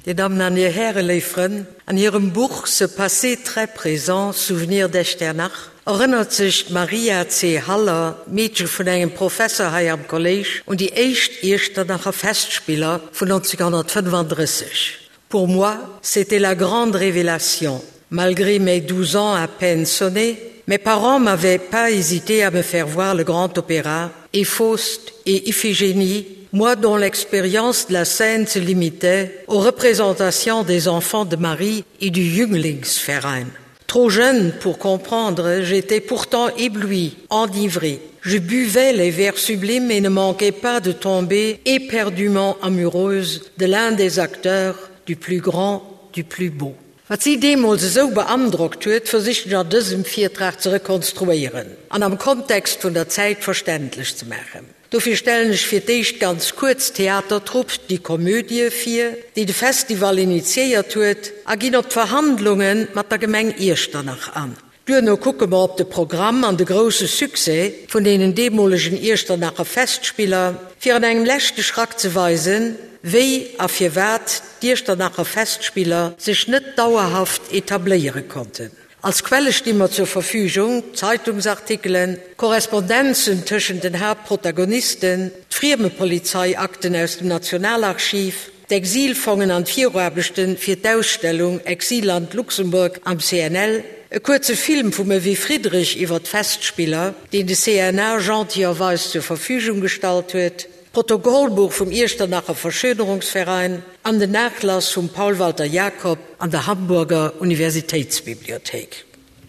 Dir Dammen an Dir Hären, léif Frënn, an hirem Buch Ce passé très présent, souvenirs d'Echternach erënnert sech d'Maria C. Haller, d'Meedche vun engem Professer hei am Kolléisch, un déi éischt Iechternacher Festspiller vun 1935. Pour moi, c'était la grande révélation. Malgré mes 12 ans à peine sonnés, mes parents m'avaient pas hésité à me faire voir le grand opéra et Faust et Iphigénie, moi dont l'expérience de la scène se limitait aux représentations des enfants de Marie et du Jünglingsverein. Trop jeune pour comprendre, j'étais pourtant ébloui, enivré. Je buvais les vers sublimes et ne manquais pas de tomber éperdument amoureuse de l'un des acteurs du plus grand, du plus beau. Wat si deemools esou beandrockt huet, versichen ech an dësem Virtrag ze rekonstruéieren an am Kontext vun der Zäit verständlech ze maachen. Dofir stellen ech fir d'éischt ganz kuerz d'Theatertrupp Die Komödie vir, déi de Festival initiéiert huet, a ginn op d'Verhandlunge mat der Gemeng Iechternach an. Duerno kucke mer op de Programm an de grousse Succès vun deenen deemolegen Iechternacher Festspiller, fir an engem leschte Schrack ze weisen, wéi a firwat d'Iechternacher Festspiller sech net dauerhaft etabléiere konnten. Als Quelle sti mer zur Verfügung, Zeitungsartikelen, Korrespondenzen tëschent den Haaptprotagonisten, d'Friemepolizeiakten aus dem Nationalarchiv, d'Exilfongen an d'Viruaarbechte fir d'Ausstellung Exilland Luxemburg am CNL, e kuerze Film vum Evy Friedrich iwwer d'Festspiller, deen de CNA gentillerweis zur Verfügung gestallt huet, d'Protokollbuch vum Iechternacher Verschönerungsverein an den Nachlass vum Paul Walter Jacob an der Hamburger Universitätsbibliothéik.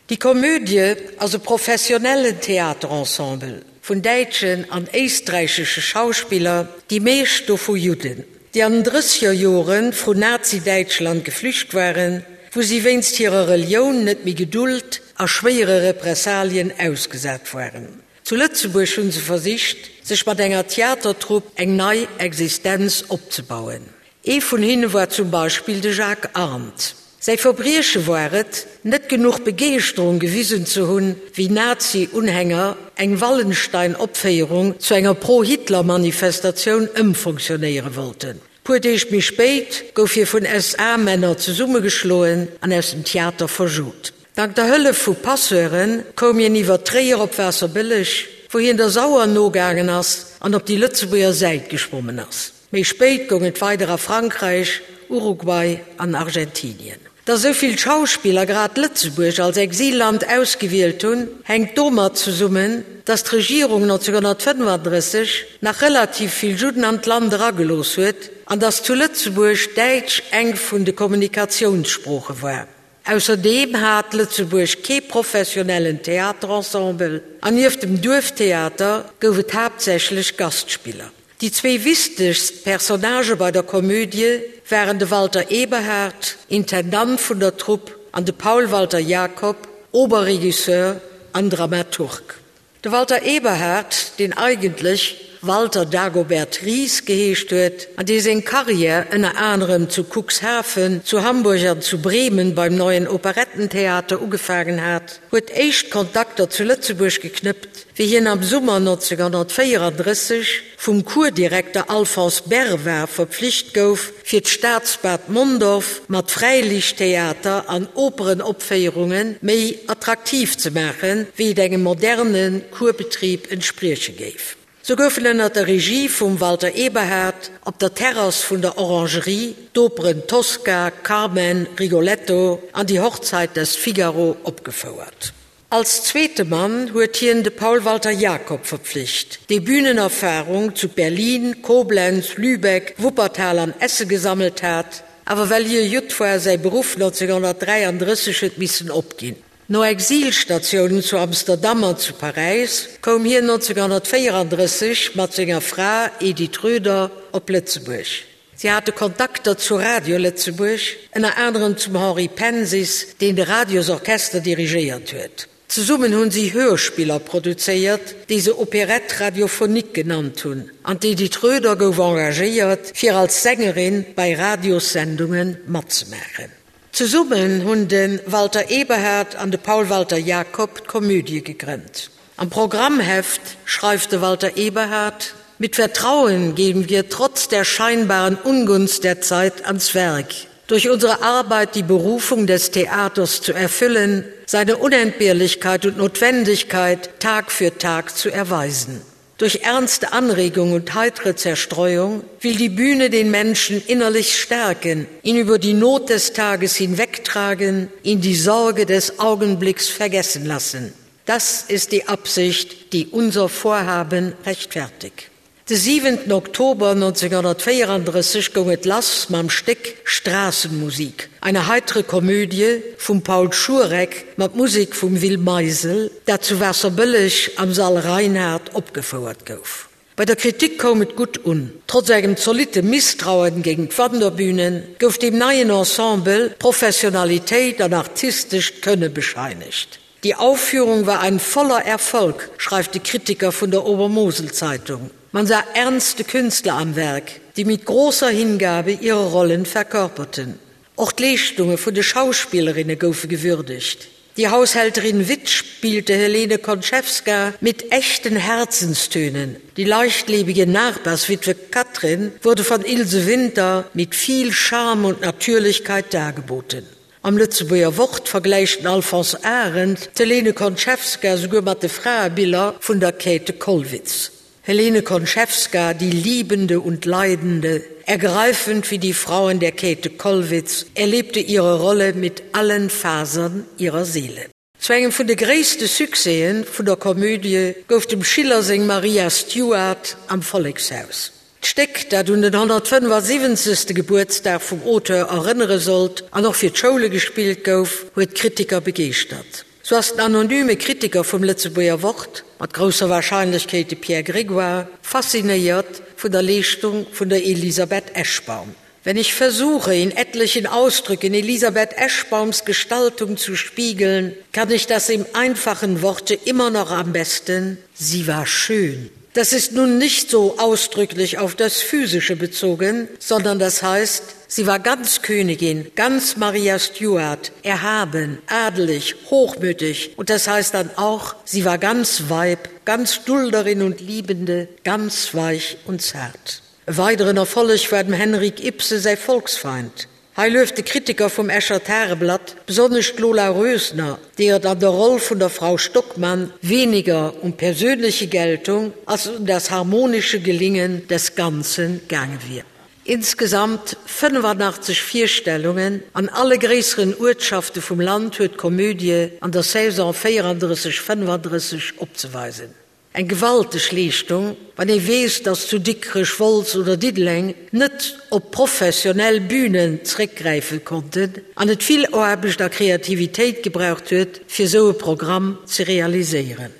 Die Komödie ass e professionellen Theaterensemble vun däitschen an éisträichesche Schauspiller, déi meescht dovu Judden, déi an den Drëssegerjore vru Nazi-Däitschland geflücht waren, wou si wéinst hirer Relioun net méi gedult a schwéiere Repressalien ausgesat waren. Zu Lëtzebuerg hu se versicht, sech mat enger Theatertrupp eng nei Existenz opzebauen. Ee vun hinne war zum Beispill de Jacques Arndt. Säi Verbrieche war et, net genuch Begeeschterung gewisen ze hunn, wéi Nazi-Unhänger eng Wallenstein-Opféierung zu enger Pro-Hitler-Manifestatioun ëmfonctionnéiere wollten. Puer Deeg méi spéit gouf hie vun SA-Männer zesummegeschloen an aus dem Theater verjot. Dank der Hëllef vu Passeure koum hien iwwer Tréier op Waasserbëlleg, wou hien der Sauer nogaangen ass an op déi Lëtzebuerger Säit geschwommen ass. Méi spéit goung et weider a Frankräich, Uruguay an Argentinien. Datt esou vill Schauspiller grad Lëtzebuerg als Exilland ausgewielt hunn, hänkt domat zesummen, datt d'Regierung 1935 nach relativ vill Judden an d'Land eragelooss huet an datt zu Lëtzebuerg Däitsch eng vun de Kommunikatiounssprooche war. Ausserdeem hat Lëtzebuerg kee professionellen Theaterensemble an nieft dem Duerftheater gouf et haaptsächlech Gastspiller. Déi zwéi wichtegst Personnagë bei der Komödie waren de Walter Eberhard, Intendant vun der Trupp, an de Paul Walter Jacob, Oberregisseur an Dramaturg. De Walter Eberhard, deen eigentlech Walter Dagobert Ries geheescht huet an dee seng Karriär ënner anerem zu Cuxhaven, zu Hamburg an zu Bremen beim Neuen Operettentheater ugefaangen hat, huet éischt Kontakter zu Lëtzebuerg geknëppt, wéi hien am Summer 1934 vum Kurdirekter Alphonse Berva verpflicht gouf, fir d'Staatsbad Mondorf mat Fräiliichttheater an Operenopféierunge méi attraktiv ze maachen, wéi et engem moderne Kurbetrib entsprieche géif. Sou goufen ënner der Regie vum Walter Eberhard op der Terrass vun der Orangerie d'Operen Tosca, Carmen, Rigoletto an Die Hochzeit des Figaro opgefouert. Als zweete Mann huet hien de Paul Walter Jacob verpflicht, dee Bünenerfarung zu Berlin, Koblenz, Lübeck, Wuppertal an Essen gesammelt hat, awer well hie Judd war, säi Beruff 1933 huet missen opginn. No Exilstatiounen zu Amsterdam an zu Paräis koum hien 1934 mat senger Fra Edith Röder op Lëtzebuerg. Si hate Kontakter zu Radio Lëtzebuerg, ënner anerem zum Henri Pensis, deen de Radiosorchester dirigéiert huet. Zesummen hunn si Hörspiller produzéiert, déi se Opérette radiophonique genannt hunn, an d'Edith Röder gouf engagéiert, fir als Sängerin bei Radiossendunge matzemaachen. Zesummen hunn de Walter Eberhard an de Paul Walter Jacob d'Komödie gegrënnt. Am Programmheft schreift de Walter Eberhard. Mit Vertrauen gehen wir trotz der scheinbaren Ungunst der Zeit ans Werk. Durch unsere Arbeit die Berufung des Theaters zu erfüllen, seine Unentbehrlichkeit und Notwendigkeit Tag für Tag zu erweisen. Durch ernste Anregung und heitere Zerstreuung will die Bühne den Menschen innerlich stärken, ihn über die Not des Tages hinwegtragen, ihn die Sorge des Augenblicks vergessen lassen. Das ist die Absicht, die unser Vorhaben rechtfertigt. De 7 Oktober 1934 goung et lass mam Stéck Straßenmusik, eine heitere Komödie vum Paul Schurek mat Musek vum Will Meisel, dat zu Waasserbëlleg am Sall Reinhard opgefouert gouf. Bei der Kritik koum et gutt un. Trotz engem zolitte Misstrauen géint d'Wanderbühnen gouf deem neien Ensemble Professionalitéit an artistescht Kënne bescheinegt. Die Aufführung war ein voller Erfolg, schreift de Kritiker vun der Obermoselzeitung. Man sah ernste Künstler am Werk, die mit großer Hingabe ihre Rollen verkörperten. Och d'Leeschtunge vun de Schauspillerinne goufe gewürdegt. Die Haushälterin Witt spielte Helene Konchewska mit echten Herzenstönen. Die leichtlebige Nachbarswitwe Katrin wurde von Ilse Winter mit viel Charme und Natürlichkeit dargeboten. Am Lëtzebuerger Wort vergläicht den Alphonse Arend d'Helene Konchewska souguer mat de Fraebiller vun der Käthe Kollwitz. Helene Konchewska, die Liebende und Leidende, ergreifend wie die Frauen der Käthe Kollwitz, erlebte ihre Rolle mit allen Fasern ihrer Seele. Zu engem vun de gréisste Succèse vun der Komödie gouf dem Schiller seng Maria Stuart am Vollekshaus. D'Stéck, dat un den 175. Gebuertsdag vum Auteur erënnere sollt an och fir d'Schoule gespillt gouf, huet d'Kritiker begeeschtert. Sou ass den anonyme Kritiker vum Lëtzebuerger Wort, mat grousser Warscheinlechkeet de Pierre Grégoire, faszinéiert vun der Leeschtung vun der Elisabeth Eschbaum. Wenn ich versuche, in etlichen Ausdrücken Elisabeth Eschbaums Gestaltung zu spiegeln, kann ich das im einfachen Worte immer noch am besten: Sie war schön. Das ist nun nicht so ausdrücklich auf das Physische bezogen, sondern das heißt, sie war ganz Königin, ganz Maria Stuart, erhaben, adelig, hochmütig und das heißt dann auch, sie war ganz Weib, ganz Dulderin und Liebende, ganz weich und zart. E weideren Erfolleg war dem Henrik Ibsen säi Volksfeind. Hei lueft de Kritiker vum Escher Tageblatt besonnesch d'Lola Rösner, deer et an der Roll vun der Frau Stockmann weniger um persönliche Geltung als um das harmonische Gelingen des Ganzen gaange wier. Insgesamt 85 Virstellungen an alle gréisseren Uertschafte vum Land huet d'Komödie an der Saison 34, 35 opzeweisen. Eng gewalteg Leeschtung, wann ee weess, datt zu Dikrech, Wolz oder Diddeleng net op professionell Bünen zréckgräife konnten an et vill Aarbecht a Kreativitéit gebraucht huet, fir esou e Programm ze realiséieren.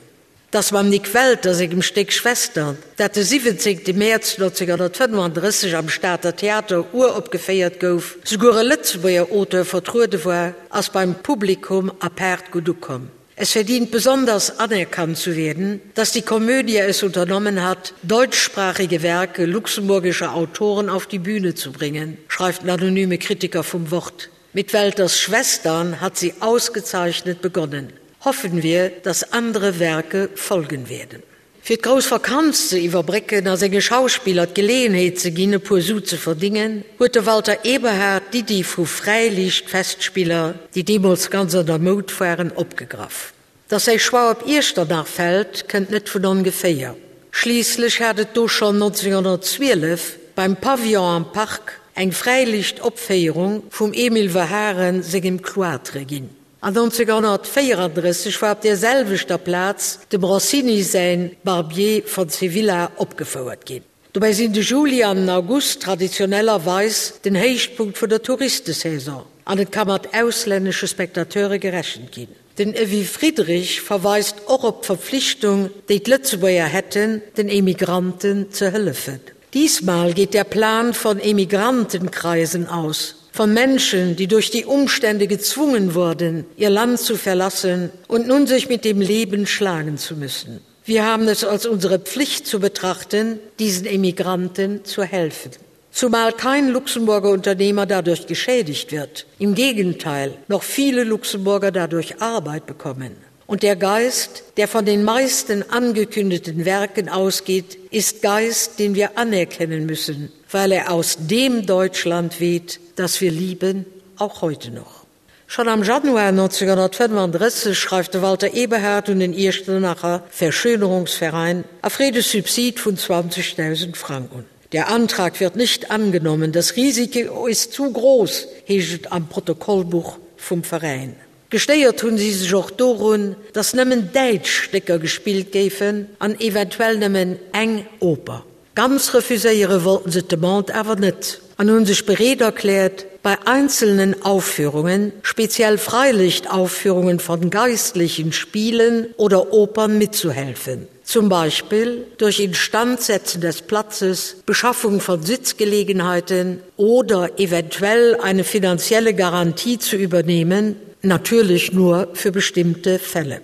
Datt mam Nik Welter sengem Stéck Schwestern, dat de 17 Mäerz 1935 am Stater Theater uropgeféiert gouf, souguer e Lëtzebuerger Auteur vertruede war, ass beim Publikum apaart gutt ukomm. Es verdient besonders anerkannt zu werden, dass die Komödie es unternommen hat, deutschsprachige Werke luxemburgischer Autoren auf die Bühne zu bringen, schreibt ein anonyme Kritiker vom Wort. Mit Welters Schwestern hat sie ausgezeichnet begonnen. Hoffen wir, dass andere Werke folgen werden. Fir d'grouss Vakanz ze iwwerbrécken a senge Schauspiller d'Geleeënheet ze ginn, e puer Su ze verdingen, huet de Walter Eberhard d'Iddi vu Fräiliichtfestspiller, déi deemools ganz an der Moud waren, opgegraff. Datt säi Choix op Iechternach fält, kënnt net vun ongeféier. Schliisslech hat et do schonn 1912 beim Pavillon am Park eng Fräiliichtopféierung vum Emile Verhaeren sengem Cloître ginn. An 1934 war op där selwechter Plaz dem Rossini säin Barbier von Sevilla opgefouert ginn. Dobäi sinn de Juli an den August traditionellerweis den Héichpunkt vun der Touristesaison an et ka mat auslännesche Spectateure gerechent ginn. Den Evy Friedrich verweist och op d'Verpflichtung, déi d'Lëtzebuerger hätten, den Emigranten ze hëllefen. Diesmal geht der Plan von Emigrantenkreisen aus, von Menschen, die durch die Umstände gezwungen wurden, ihr Land zu verlassen und nun sich mit dem Leben schlagen zu müssen. Wir haben es als unsere Pflicht zu betrachten, diesen Emigranten zu helfen. Zumal kein Luxemburger Unternehmer dadurch geschädigt wird. Im Gegenteil, noch viele Luxemburger dadurch Arbeit bekommen. Und der Geist, der von den meisten angekündigten Werken ausgeht, ist Geist, den wir anerkennen müssen, weil er aus dem Deutschland weht, das wir lieben, auch heute noch. Schon am Januar 1935 schreift de Walter Eberhard un den Iechternacher Verschönerungsverein a freet e Subsid vun 20.000 Frang un. Der Antrag wird nicht angenommen, das Risiko ist zu groß, heescht et am Protokollbuch vum Veräin. Gestéiert hunn si sech och dorun, datt nëmmen däitsch Stécker gespillt géifen an eventuell nëmmen eng Oper. Ganz refuséiere wollten se d'Demande awer net an hunn sech bereet erkläert, bei einzelnen Aufführungen, speziell Freilichtaufführungen von geistlichen Spielen oder Opern mitzuhelfen, zum Beispiel durch Instandsetzen des Platzes, Beschaffung von Sitzgelegenheiten oder eventuell eine finanzielle Garantie zu übernehmen, natürlich nur für bestimmte Fälle.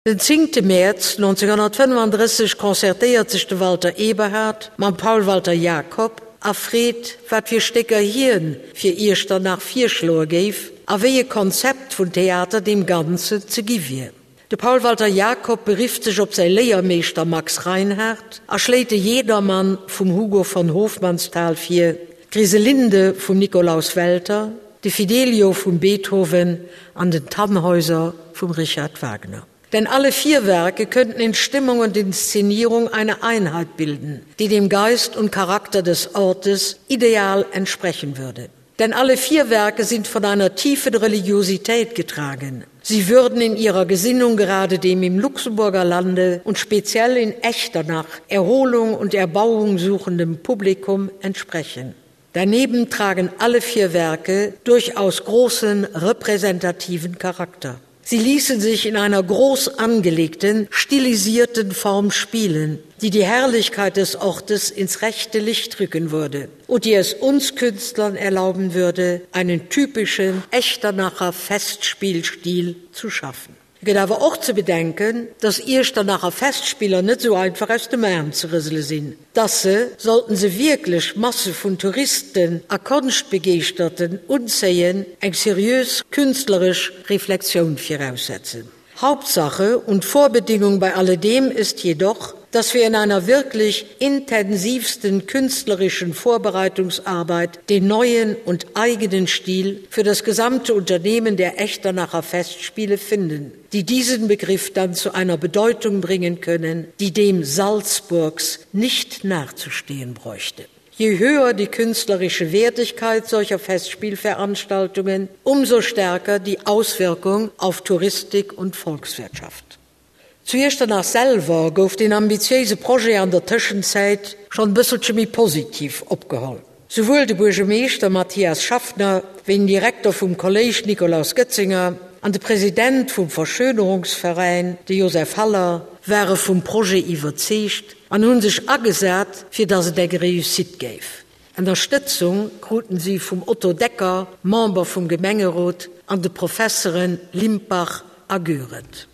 Den zéngte Mäerz 1935 concertéiert sech de Walter Eberhard mam Paul Walter Jacob a freet, wat fir Stécker hien fir Iechternach virschloe géif a wéi e Konzept vun Theater deem Ganzen ze gi wier. De Paul Walter Jacob berifft sech op säi Léiermeeschter Max Reinhardt a schléit de Jedermann vum Hugo von Hofmannsthal vir, d'Griselinde vum Nikolaus Welter, de Fidelio vum Beethoven an den Tannhäuser vum Richard Wagner. Denn alle vier Werke könnten in Stimmung und Inszenierung eine Einheit bilden, die dem Geist und Charakter des Ortes ideal entsprechen würde. Denn alle vier Werke sind von einer tiefen Religiosität getragen. Sie würden in ihrer Gesinnung gerade dem im Luxemburger Lande und speziell in Echternach Erholung und Erbauung suchendem Publikum entsprechen. Daneben tragen alle vier Werke durchaus großen repräsentativen Charakter. Sie ließen sich in einer groß angelegten, stilisierten Form spielen, die die Herrlichkeit des Ortes ins rechte Licht rücken würde und die es uns Künstlern erlauben würde, einen typischen Echternacher Festspielstil zu schaffen. Et gëtt awer och ze bedenken, dass Iechternacher Festspiller net esou einfach aus dem Aarm ze rësele sinn, dass se, sollten se wierklech Masse vun Touristen a Konschtbegeeschterten unzéien, eng seriös künstleresch Reflexioun viraussetzen. Hauptsache und Vorbedingung bei alledem ist jedoch, dass wir in einer wirklich intensivsten künstlerischen Vorbereitungsarbeit den neuen und eigenen Stil für das gesamte Unternehmen der Echternacher Festspiele finden, die diesen Begriff dann zu einer Bedeutung bringen können, die dem Salzburgs nicht nachzustehen bräuchte. Je höher die künstlerische Wertigkeit solcher Festspielveranstaltungen, umso stärker die Auswirkung auf Touristik und Volkswirtschaft. Zu Iechternach selwer gouf deen ambitiéise Projet an der Tëschenzäit schonn e bësselche méi positiv opgeholl. Souwuel de Buergermeeschter Mathias Schaffner wéi den Direkter vum Kolléisch Nikolaus Goetzinger an de President vum Verschönerungsveräin, de Joseph Haller, ware vum Projet iwwerzeegt an hu sech agesat, fir datt et eng Réussite géif. Ënnerstëtzung kruten si vum Otto Decker, Member vum Gemengerot, an de Professere Limpach a Goerend.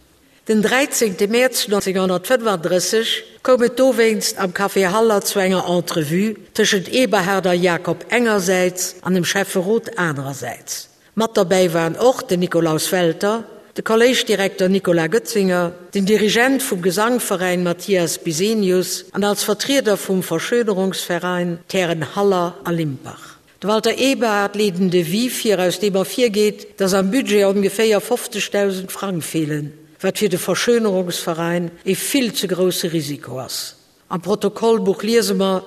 Den 13 Mäerz 1935 koum et dowéinst am Café Haller zu enger Entrevue tëschent Eberhard a Jacob engersäits an dem Schäfferot anerersäits. Mat derbäi waren och den Nikolaus Welter, de Kolléischdirekter Nicolas Goetzinger, den Dirigent vum Gesangveräin Mathias Bisenius an als Vertrieder vum Verschönerungsverein d'Hären Haller a Limpach. De Walter Eberhard leet en Devis vir, aus deem ervirgeet, datt am Budget ongeféier 50.000 Frang feelen, wat fir de Verschönerungsverein e vill ze grousse Risiko ass. Am Protokollbuch liese mer,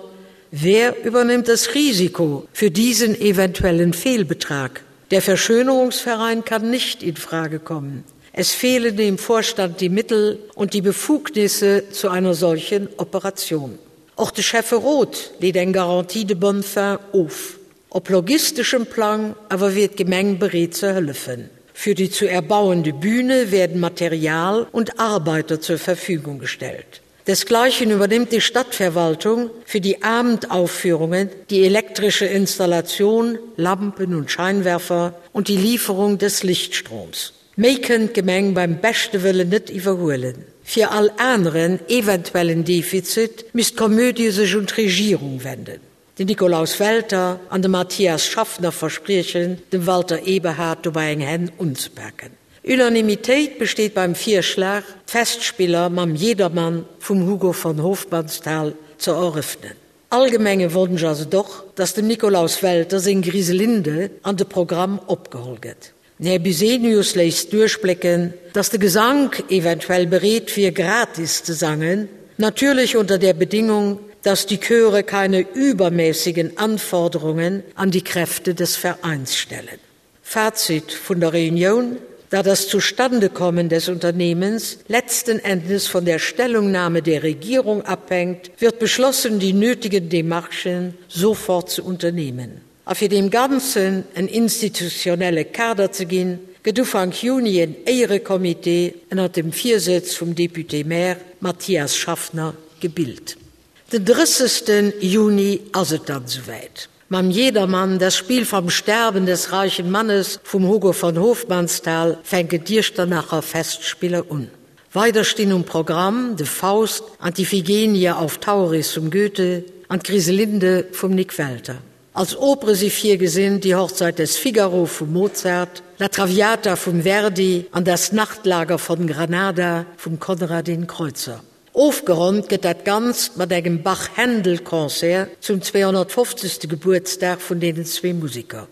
Wer übernimmt das Risiko für diesen eventuellen Fehlbetrag? Der Verschönerungsverein kann nicht in Frage kommen. Es fehlen dem Vorstand die Mittel und die Befugnisse zu einer solchen Operation. Och de Schäfferot leet eng Garantie de bonne fin of. Op logisteschem Plang awer wier d'Gemeng bereet ze hëllefen. Für die zu erbauende Bühne werden Material und Arbeiter zur Verfügung gestellt. Desgleichen übernimmt die Stadtverwaltung für die Abendaufführungen die elektrische Installation, Lampen und Scheinwerfer und die Lieferung des Lichtstroms. Méi kënnt d'Gemeng beim beschte Wëllen net iwwerhuelen. Fir all aneren eventuellen Defizit misst d'Komödie sech un d'Regierung wenden. Den Nikolaus Welter an de Mathias Schaffner verspriechen, dem Walter Eberhard dobäi eng Hänn unzepaken. Unanimitéit besteet beim Virschlag, d'Festspiller mam Jedermann vum Hugo von Hofmannsthal ze erëffnen. Allgemenge Wonsch ass et och, datt dem Nikolaus Welter seng Griselinde an de Programm opgeholl gëtt. Den Här Busenius léisst duerchblécken, datt de Gesank eventuell bereet wier gratis ze sangen, natürlich unter der Bedingung, dass die Chöre keine übermäßigen Anforderungen an die Kräfte des Vereins stellen. Fazit vun der Reunioun, Da das Zustandekommen des Unternehmens letzten Endes von der Stellungnahme der Regierung abhängt, wird beschlossen, die nötigen Demarchen sofort zu unternehmen. A fir deem Ganzen en institutionelle Kader ze ginn, gëtt Ufank Juni en Éierecomité ënnert dem Virsëtz vum Député-maire Mathias Schaffner gebilt. Den 30. Juni ass et dann esouwäit. Mam Jedermann, Das Spiel vom Sterben des reichen Mannes vum Hugo von Hofmannsthal fänken d'Iechternacher Festspiller un. Weider stinn um Programm de Faust an d'Iphigenie auf Tauris vum Goethe an d'Griselinde vum Nik Welter. Als Opere si virgesinn Die Hochzeit des Figaro vum Mozart, La Traviata vum Verdi an Das Nachtlager von Granada vum Konradin Kreutzer. Ofgeronnt gëtt dat Ganzt mat engem Bach-Händel-Concert zum 250. Gebuertsdag vun deenen zwee Museker.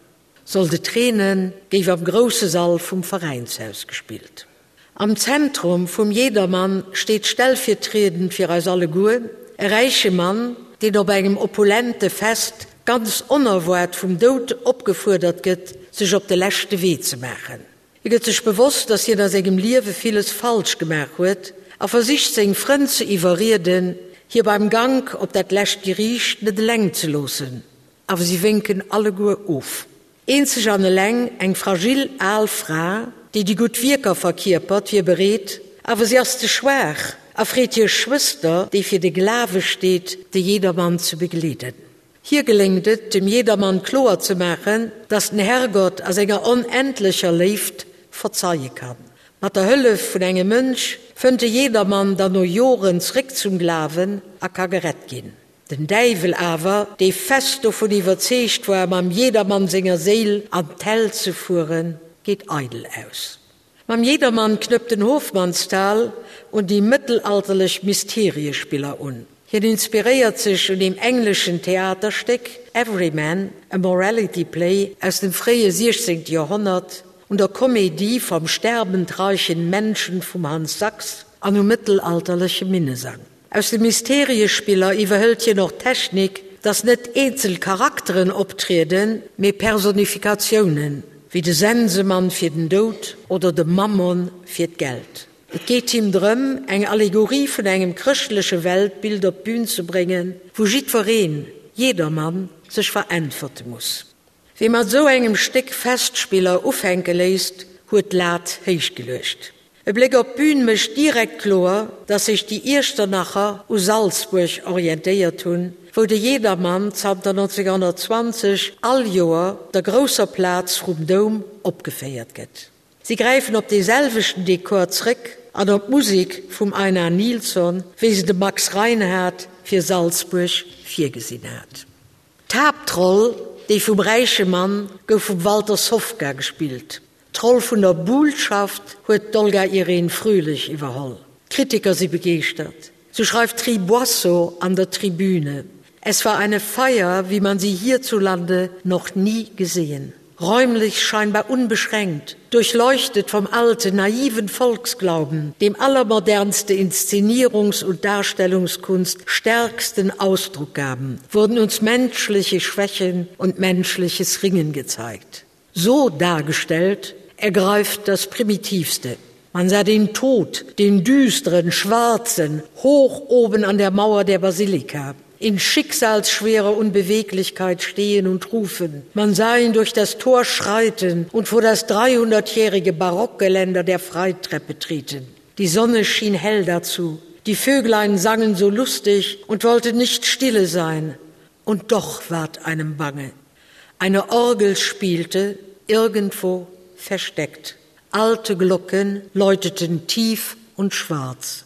Sollt et reenen, géif am grousse Sall vum Veräinshaus gespillt. Am Zentrum vum Jedermann steet stellvirtriedend fir eis alleguer e räiche Mann, deen op engem opulente Fest ganz onerwaart vum Doud opgefuerdert gëtt, sech op de leschte Wee ze maachen. Hie gëtt sech bewosst, dass hien a sengem Liewe villes falsch gemaach huet a versicht seng Frënn ze iwwerrieden, hie beim Gank op dat lescht Geriicht net eleng ze loossen. Awer si wénken alleguer of. Eenzeg an eleng eng fragil al Fra, déi déi gutt Wierker verkierpert, wier bereet, awer si ass ze schwaach a freet hir Schwëster, déi fir de Glawe steet, de Jedermann ze begleeden. Hir geléngt et, dem Jedermann kloer ze maachen, dass den Herrgott a senger onendlecher Léift verzeie kann. Mat der Hëllef vun engem Mönch fënnt de Jedermann dann no Joren zréck zum Glawen a ka gerett ginn. Den Däiwel awer, dee fest dovun iwwerzeegt war, mam Jedermann senger Séil an d'Hell ze fueren, geet eidel aus. Mam Jedermann knëppt den Hofmannsthal un déi mëttelalterlech Mysteriespiller un. Hien inspiréiert sech un deem engleschen Theaterstéck Everyman, a Morality Play aus dem fréie 16. Joerhonnert, un der Comédie vom sterbend reichen Menschen vum Hans Sachs an um mëttelalterleche Minnesang. Aus de Mysteriespiller iwwerhëlt hien och d'Technik, dass net eenzel Charakteren optrieden, mee Personifikatiounen, wéi de Sensemann fir den Doud oder de Mammon fir d'Geld. Et geet him drëm, eng Allegorie vun engem chrëschtleche Weltbild op d'Bün ze bréngen, wou jiddwereen, jedermann, sech veräntwerte muss. Wie mat esou engem Stéck Festspiller ufänke léisst, huet d'Lat héich geluecht. E Bléck op d'Bün mécht direkt kloer, dass sech déi Iechternacher u Salzbuerg orientéiert hunn, wou de Jedermann zanter 1920 all Joer op der grousser Plaz vrum Doum opgeféiert gëtt. Si gräifen op dee selwechten Dekor zréck an op d'Musek vum Einar Nilsson, wéi se de Max Reinhardt fir Salzbuerg virgesinn hat. D'Haaptroll, déi vum räiche Mann, gouf vum Walter Sofka gespillt. D'Roll vun der Buhlschaft huet d'Olga Irene Fröhlich iwwerholl. D'Kritiker si begeeschtert. Sou schreift d'Tri Boisseau an der Tribüne, Es war eine Feier, wie man sie hierzulande noch nie gesehen. Räumlich scheinbar unbeschränkt, durchleuchtet vom alten, naiven Volksglauben, dem allermodernste Inszenierungs- und Darstellungskunst stärksten Ausdruck gaben, wurden uns menschliche Schwächen und menschliches Ringen gezeigt. So dargestellt ergreift das Primitivste. Man sah den Tod, den düsteren, schwarzen, hoch oben an der Mauer der Basilika, in schicksalsschwerer Unbeweglichkeit stehen und rufen. Man sah ihn durch das Tor schreiten und vor das 300-jährige Barockgeländer der Freitreppe treten. Die Sonne schien hell dazu. Die Vöglein sangen so lustig und wollten nicht stille sein. Und doch ward einem bange. Eine Orgel spielte irgendwo versteckt. Alte Glocken läuteten tief und schwarz.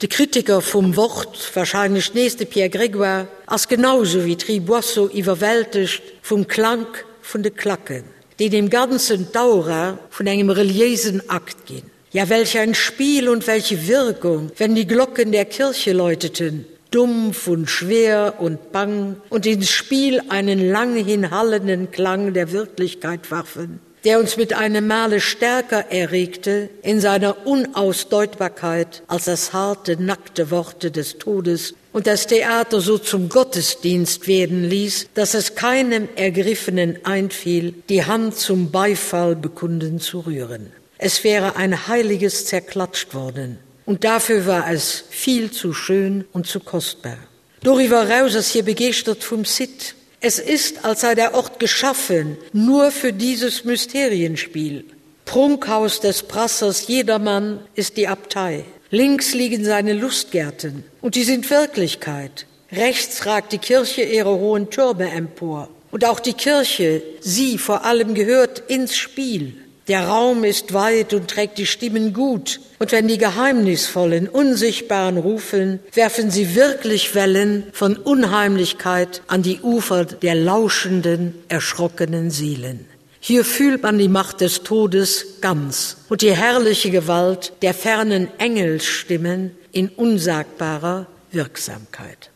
De Kritiker vum Wort, warscheinlech nees de Pierre Grégoire, ass genau sou wéi d'Ri Boisseau iwwerwältegt vum Klank vun de Klacken. déi dem Ganzen d'Aura vun engem reliéisen Akt ginn. Ja, welch ein Spiel und welche Wirkung, wenn die Glocken der Kirche läuteten, dumpf und schwer und bang und ins Spiel einen lang hinhallenden Klang der Wirklichkeit warfen, der uns mit einem Male stärker erregte in seiner Unausdeutbarkeit als das harte, nackte Worte des Todes und das Theater so zum Gottesdienst werden ließ, dass es keinem Ergriffenen einfiel, die Hand zum Beifall bekunden zu rühren. Es wäre ein heiliges zerklatscht worden, und dafür war es viel zu schön und zu kostbar. Doriwwer eraus ass hie begeeschtert vum Site. Es ist, als sei der Ort geschaffen nur für dieses Mysterienspiel. Prunkhaus des Prassers Jedermann ist die Abtei. Links liegen seine Lustgärten, und die sind Wirklichkeit. Rechts ragt die Kirche ihre hohen Türme empor. Und auch die Kirche, sie vor allem gehört ins Spiel. Der Raum ist weit und trägt die Stimmen gut, und wenn die geheimnisvollen, unsichtbaren rufen, werfen sie wirklich Wellen von Unheimlichkeit an die Ufer der lauschenden, erschrockenen Seelen. Hier fühlt man die Macht des Todes ganz und die herrliche Gewalt der fernen Engelsstimmen in unsagbarer Wirksamkeit.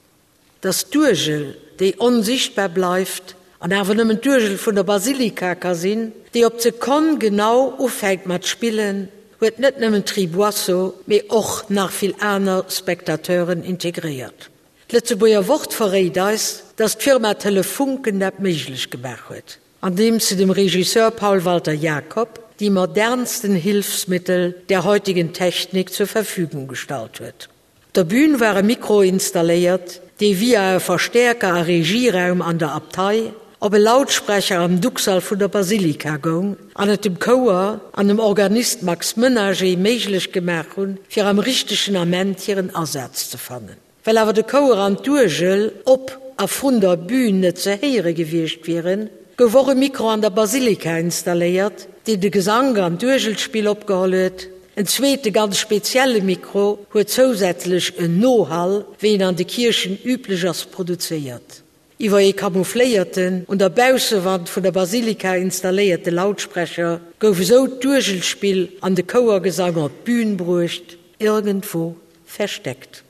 Dass d'Uergel, déi onsichtbar bleift an awer nëmmen d'Uergel vun der Basilika ka sinn, déi op d'Sekonn genau ufänkt mat spillen, huet net nëmmen d'Ri Boisseau, mee och nach vill aner Spectateuren integréiert. D'Lëtzebuerger Wort verréit eis, dass d'Firma Telefunken dat méiglech gemaach huet, andeems se dem Regisseur Paul Walter Jacob déi modernsten Hilfsmittel der heutigen Technik zur Verfügung gestallt huet. Op der Bühn war e Mikro installéiert, dee via e Verstäerker a Regieraum an der Abtei op e Lautsprecher am Duxall vun der Basilika goung an et dem Chouer an dem Organist Max Menager méiglech gemaach hunn, fir am richtegen Ament hiren Asaz ze fannen. Well awer de Chouer an d'Uergel op a vrun der Bühn net ze héiere gewiescht wieren, gouf och e Mikro an der Basilika installéiert, deen de Gesank an d'Uergelspill opgeholl huet. En zweete ganz spezielle Mikro huet zousätzlech en Nohall, wéi en an de Kierchen üblech ass, produzéiert. Iwwer ee camoufléierten, un der Baussewand vun der Basilika installéierte Lautsprecher gouf esou d'Uergelspill an de Chouergesang op d'Bün bruecht, irgendwo versteckt.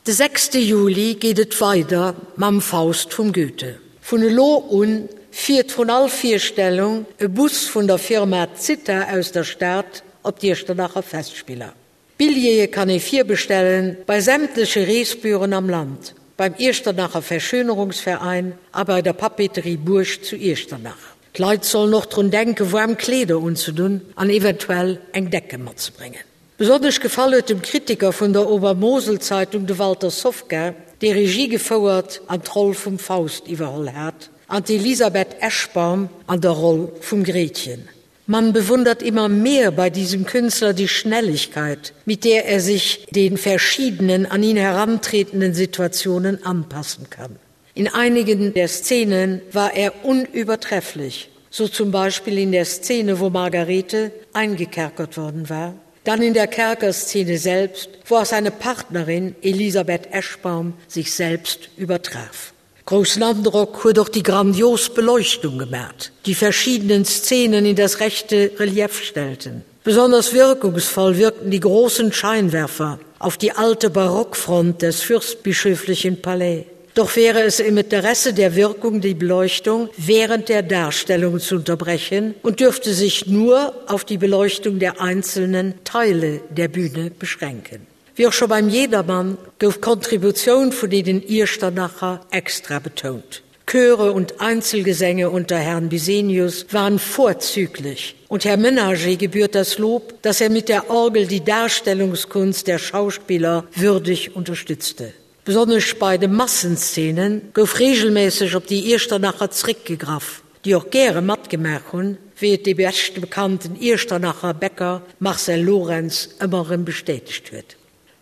De sechste Juli geet et weider mam Faust vum Goethe. Vun elo un fiert vrun all Virstellung e Bus vun der Firma Zitha aus der Stad op d'Iechternacher Festspiller. Billjeeë kann ee virbestellen bei sämtleche Reesbüroen am Land, beim Iechternacher Verschönerungsverein a bei der Papeterie Buerg zu Iechternach. D'Leit sollen och drun denken, waarm Kleeder unzedunn an eventuell eng Decke matzebréngen. Besonnesch gefall huet dem Kritiker vun der Obermoselzeitung, de Walter Sofka, dee Regie gefouert an d'Roll vum Faust iwwerholl hat, an d'Elisabeth Eschbaum an der Roll vum Gretchen. Man bewundert immer mehr bei diesem Künstler die Schnelligkeit, mit der er sich den verschiedenen an ihn herantretenden Situationen anpassen kann. In einigen der Szenen war er unübertrefflich, so zum Beispiel in der Szene, wo Margarete eingekerkert worden war, dann in der Kerkerszene selbst, wo auch seine Partnerin Elisabeth Eschbaum sich selbst übertraf. Großen Androck huet och déi grandios Beleuchtung gemat, déi verschiedenen Szenen in das rechte Relief stellten. Besonders wirkungsvoll wirkten die großen Scheinwerfer auf die alte Barockfront des fürstbischöflichen Palais. Doch wäre es im Interesse der Wirkung, die Beleuchtung während der Darstellung zu unterbrechen und dürfte sich nur auf die Beleuchtung der einzelnen Teile der Bühne beschränken. Wéi och scho beim Jedermann gouf d'Kontributioun vun deenen Iechternacher extra betount. Chöre und Einzelgesänge unter Herrn Bisenius waren vorzüglich und Herr Menager gebührt das Lob, dass er mit der Orgel die Darstellungskunst der Schauspieler würdig unterstützte. Besonnesch bei de Massenszenen gouf regelméisseg op déi Iechternacher zréckgegraff, déi och gäre matgemaach hunn, wéi et dee beschte bekannten Iechternacher Bäcker Marcel Lorentz ëmmer erëm bestätegt huet.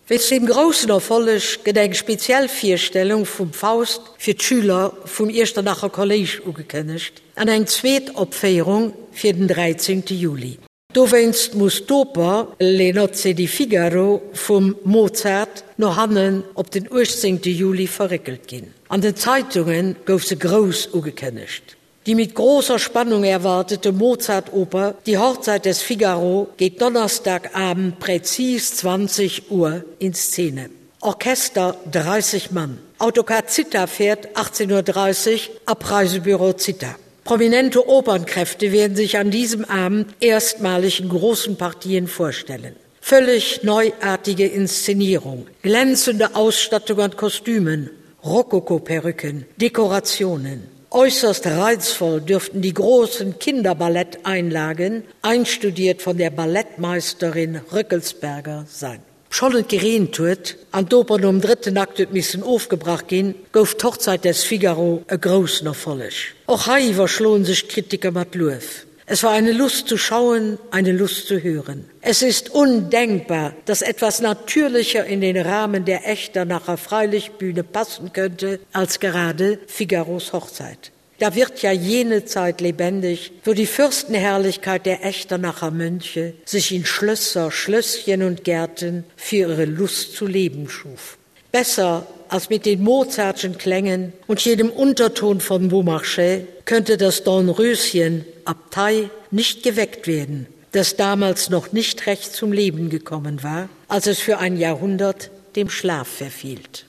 Wéinst deem groussen Erfolleg gëtt eng speziell Virstellung vum Faust fir d'Schüler vum Iechternacher Kolléisch ugekënnegt an eng zweet Opféierung fir den 13 Juli. Dowéinst muss d'Oper Le nozze di Figaro vum Mozart no hannen op den 18 Juli verréckelt ginn. An den Zeitunge gouf se grouss ugekënnegt. Die mit großer Spannung erwartete Mozartoper Die Hochzeit des Figaro geht Donnerstagabend präzis 20 Uhr in Szene. Orchester 30 Mann. Autocar Zita fährt 18.30 Uhr Abreisebüro Zita. Prominente Opernkräfte werden sich an diesem Abend erstmalig in großen Partien vorstellen. Völlig neuartige Inszenierung, glänzende Ausstattung an Kostümen, Rokokoperücken, Dekorationen. Äußerst reizvoll dürften die großen Kinderballetteinlagen, einstudiert von der Ballettmeisterin Rückelsberger sein. Obschonn et gereent huet an d'Oper nom drëtten Akt huet missen ofgebrach ginn, gouf d'Hochzeit des Figaro e groussen Erfolleg. Och hei iwwerschloen sech d'Kritiker mat Luef. Es war eine Lust zu schauen, eine Lust zu hören. Es ist undenkbar, dass etwas natürlicher in den Rahmen der Echternacher Freilichtbühne passen könnte als gerade Figaros Hochzeit. Da wird ja jene Zeit lebendig, wo die Fürstenherrlichkeit der Echternacher Mönche sich in Schlösser, Schlösschen und Gärten für ihre Lust zu leben schuf. Besser als mit den Mozartschen Klängen und jedem Unterton von Beaumarchais könnte das Dornröschen Abtei nicht geweckt werden, das damals noch nicht recht zum Leben gekommen war, als es für ein Jahrhundert dem Schlaf verfiehlt.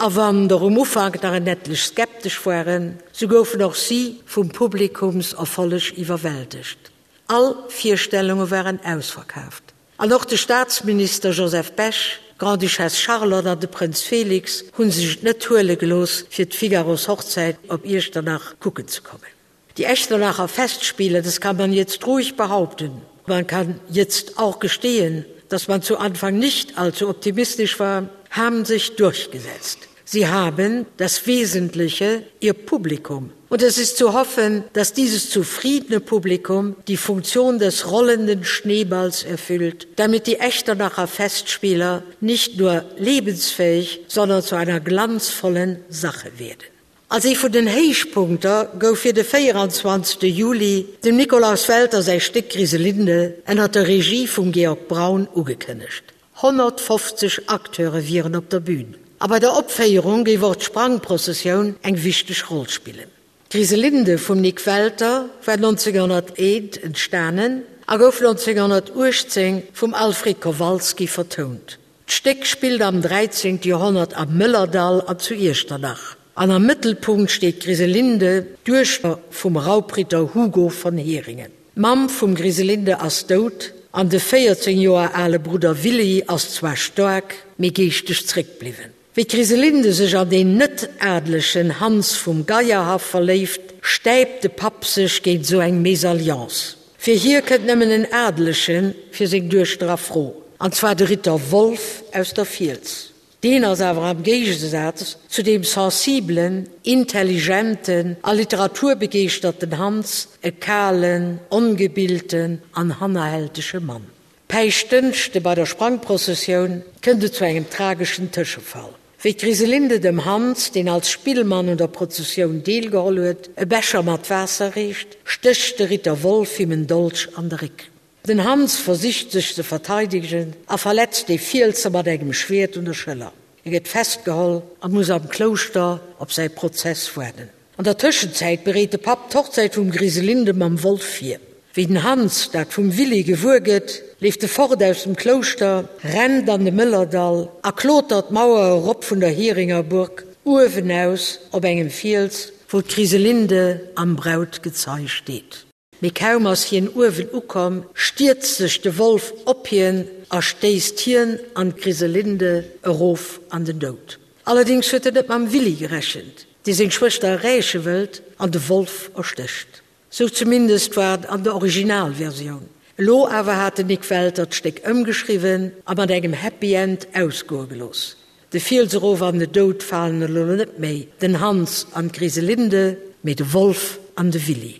A wann der um Ufank nach en ettlech skeptesch waren, sou goufen och si vum Publikumserfolleg iwwerwältegt. All Virstellunge waren ausverkaaft. An och de Staatsminister Joseph Bech, d'Grande-Duchesse Charlotte an de Prënz Félix hu sech et net huele gelooss, fir d'Figaros Hochzäit op Iechternach kucken ze kommen. Die Echternacher Festspiele, das kann man jetzt ruhig behaupten. Man kann jetzt auch gestehen, dass man zu Anfang nicht allzu optimistisch war, haben sich durchgesetzt. Sie haben das Wesentliche, ihr Publikum. Und es ist zu hoffen, dass dieses zufriedene Publikum die Funktion des rollenden Schneeballs erfüllt, damit die Echternacher Festspieler nicht nur lebensfähig, sondern zu einer glanzvollen Sache werden. Als ee vun den Héichpunkter gouf fir de 24 Juli dem Nikolaus Welter säi Stéck Griselinde ënner der Regie vum Georg Braun ugekënnegt. 150 Acteure wieren op der Bün a bei der Opféierung géif och d'Sprangprozessioun eng wichteg Roll spillen. D'Griselinde vum Nik Welter war 1901 entstanen a gouf 1918 vum Alfred Kowalski vertount. D'Stéck spillt am 13. Joerhonnert am Mëllerdall an zu Iechternach, an am Mëttelpunkt steet d'Griselinde, d'Duechter vum Raubritter Hugo von Heringen. D'Mamm vum Griselinde ass dout an de 14 Joer ale Brudder Willy ass zwar staark, mee geeschteg zréckbliwwen. Wéi d'Griselinde sech an deen net-adelegen Hans vum Geierhaff verléift, stäipt de Papp sech géint esou eng Mésalliance. Fir hie kënnt nëmmen en Adelege fir seng Duechter a Fro, an zwar de Ritter Wolf aus der Fiels. Deen ass awer am Géigesaz zu deem sensibelen, intelligenten a literaturbegeeschterten Hans e kalen, ongebilten an hannerhältege Mann. Päischtdënschde bei der Sprangprozessioun kënnt et zu engem trageschen Tëschefall. Wéi d'Griselinde dem Hans, deen als Spillmann un der Prozessioun deelgeholl huet, e Becher mat Waasser reecht, stécht de Ritter Wolf him en Dolch an de Réck. Den Hans versicht sech ze verteidegen a verletzt de Fielser mat engem Schwiert un der Schëller. E gëtt festgeholl a muss am Klouschter op säi Prozess waarden. An der Tëschenzäit bereet de Papp d'Hochzäit vum Griselinde mam Wolf vir. Wéi den Hans dat vum Willy gewuer gëtt, leeft e fort aus dem Klouschter, rennt an de Mëllerdall a klotert d'Mauer erop vun der Hieringerburg, uewenaus op engem Fiels, wou d'Griselinde am Brautgezei steet. Mee kaum ass hien uewen ukomm, stierzt sech de Wolf op hien a stéisst hien an d'Griselinde erof an den Doud. Allerdéngs huet en net mam Willy gerechent, dee seng Schwëster erreeche wëllt an de Wolf erstécht. Sou zumindest war et an der Originalversioun. Elo awer hat den Nik Welter d'Stéck ëmgeschriwwen a mat engem Happy End ausgoe gelooss. De Fiels erof an de Doud falen elo net méi den Hans an d'Griselinde, mee de Wolf an de Willy.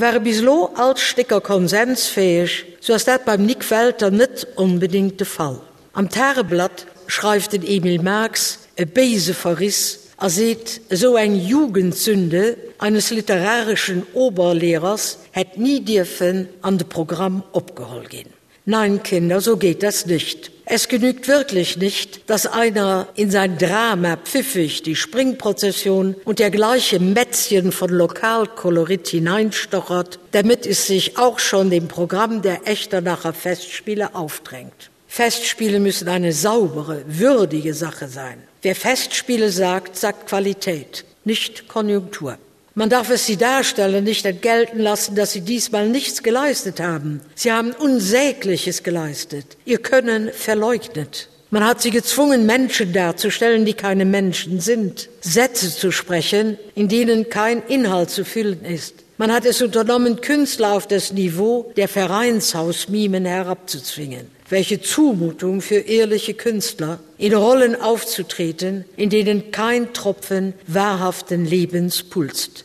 Ware bis elo all d'Stécker konsensfäeg, sou ass dat beim Nik Welter net onbedéngt de Fall. Am Tageblatt schreift den Emil Marx e béise Verriss a seet, esou eng Jugendsünde eines literarischen Oberlehrers hätt ni dierfen an de Programm opgeholl ginn. Nein, Kinder, so geht das nicht. Es genügt wirklich nicht, dass einer in sein Drama pfiffig die Springprozession und dergleiche Mätzchen von Lokalkolorit hineinstochert, damit es sich auch schon dem Programm der Echternacher Festspiele aufdrängt. Festspiele müssen eine saubere, würdige Sache sein. Wer Festspiele sagt, sagt Qualität, nicht Konjunktur. Man darf es sie darstellen, nicht entgelten lassen, dass sie diesmal nichts geleistet haben. Sie haben Unsägliches geleistet, ihr Können verleugnet. Man hat sie gezwungen, Menschen darzustellen, die keine Menschen sind, Sätze zu sprechen, in denen kein Inhalt zu füllen ist. Man hat es unternommen, Künstler auf das Niveau der Vereinshausmimen herabzuzwingen. Welche Zumutung für ehrliche Künstler, in Rollen aufzutreten, in denen kein Tropfen wahrhaften Lebens pulst.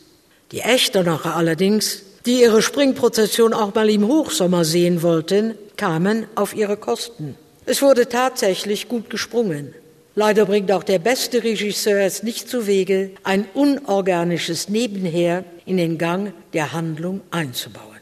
Die Echternacher allerdings, die ihre Springprozession auch mal im Hochsommer sehen wollten, kamen auf ihre Kosten. Es wurde tatsächlich gut gesprungen. Leider bringt auch der beste Regisseur es nicht zu Wege, ein unorganisches Nebenher in den Gang der Handlung einzubauen.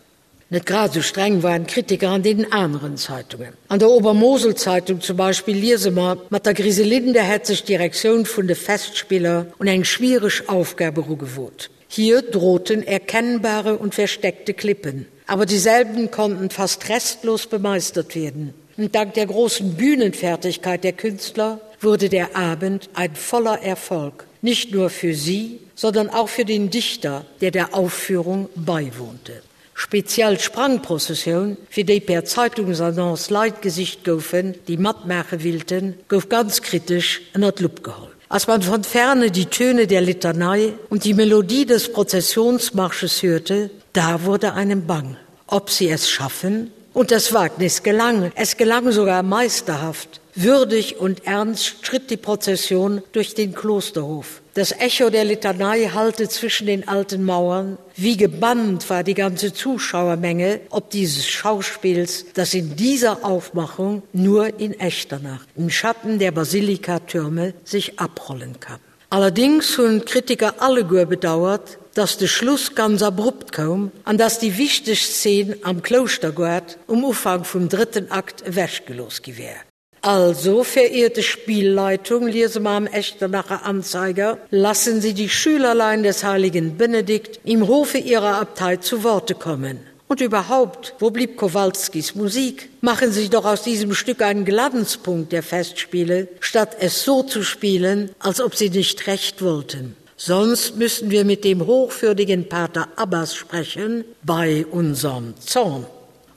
Net grad esou streng waren d'Kritiker an deenen aneren Zeitungen. An der Obermoselzeitung zum Beispill liese mer, Mat der Griselinde hätt sech d'Direktioun vun de Festspiller un eng schwiereg Aufgab erugewot. Hier drohten erkennbare und versteckte Klippen, aber dieselben konnten fast restlos bemeistert werden. Und dank der großen Bühnenfertigkeit der Künstler wurde der Abend ein voller Erfolg, nicht nur für sie, sondern auch für den Dichter, der der Aufführung beiwohnte. Speziell d'Sprangprozessioun, fir déi per Zeitungsannonce Leit gesicht goufen, déi matmaache willten, gouf ganz kritesch ënner d'Lupp geholl. Als man von ferne die Töne der Litanei und die Melodie des Prozessionsmarsches hörte, da wurde einem bang. Ob sie es schaffen? Und das Wagnis gelang, es gelang sogar meisterhaft. Würdig und ernst schritt die Prozession durch den Klosterhof. Das Echo der Litanei hallte zwischen den alten Mauern. Wie gebannt war die ganze Zuschauermenge ob dieses Schauspiels, das in dieser Aufmachung nur in Echternach, im Schatten der Basilikatürme sich abrollen kann. Allerdings hunn d'Kritiker alleguer bedauert, dass de Schluss ganz abrupt koum an dass déi wichteg Szen am Klouschtergoart um Ufank vum drëtten Akt ewechgelooss gi wär. Also, verehrte Spielleitung, liese mer am Echternacher Anzeiger, lassen Sie die Schülerlein des heiligen Benedikt im Hofe ihrer Abtei zu Worte kommen. Und überhaupt, wo blieb Kowalskis Musik? Machen Sie doch aus diesem Stück einen Glanzpunkt der Festspiele, statt es so zu spielen, als ob Sie nicht recht wollten. Sonst müssen wir mit dem hochwürdigen Pater Abbas sprechen, bei unserem Zorn.